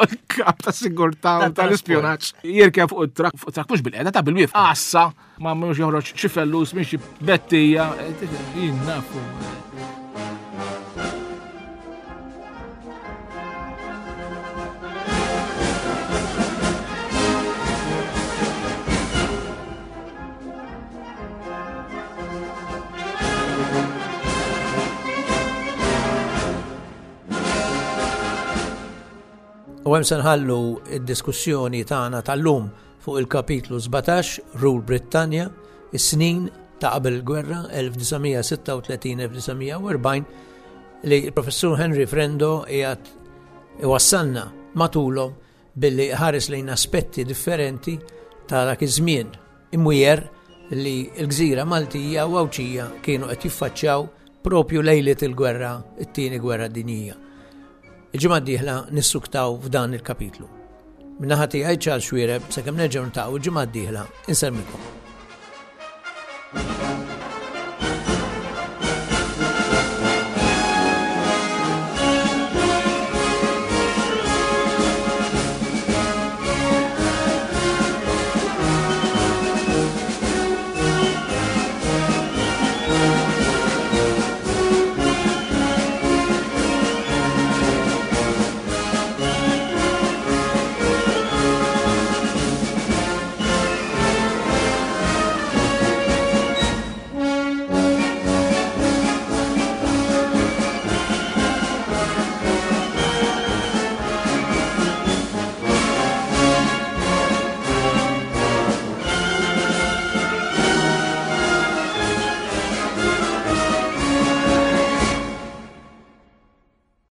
l-kap ta' sigurtà u tal-ispjonaġġ jirkeb fuq it-trakk, fuq trakk mhux bil-qiegħda ta' bil-wieqfa. Għassa ma mhux joħroġ xi fellus minn xi bettija, jien nafu. U hemm se nħallu id-diskussjoni tagħna tal-lum fuq il-kapitlu sbatax, Rule Britannia, is-snin ta' qabel il-gwerra elf disa' mija sitta u tletin elf disa' mija u erbgħin li il-professur Henry Frendo qiegħed iwassalna matulhom billi ħares lejn aspetti differenti ta' dak iż-żmien imwiegħer li l-gżira Maltija u Għawdxija kienu qed jiffaċċjaw propju lejliet il-gwerra, it-tieni gwerra dinjija. Il-ġimgħa d-dieħla nissuktaw f'dan il-kapitlu. Min-naħa tiegħi Charles Xuereb, sakemm nerġgħu niltaqgħu il-ġimgħa d-dieħla, insellmilkom.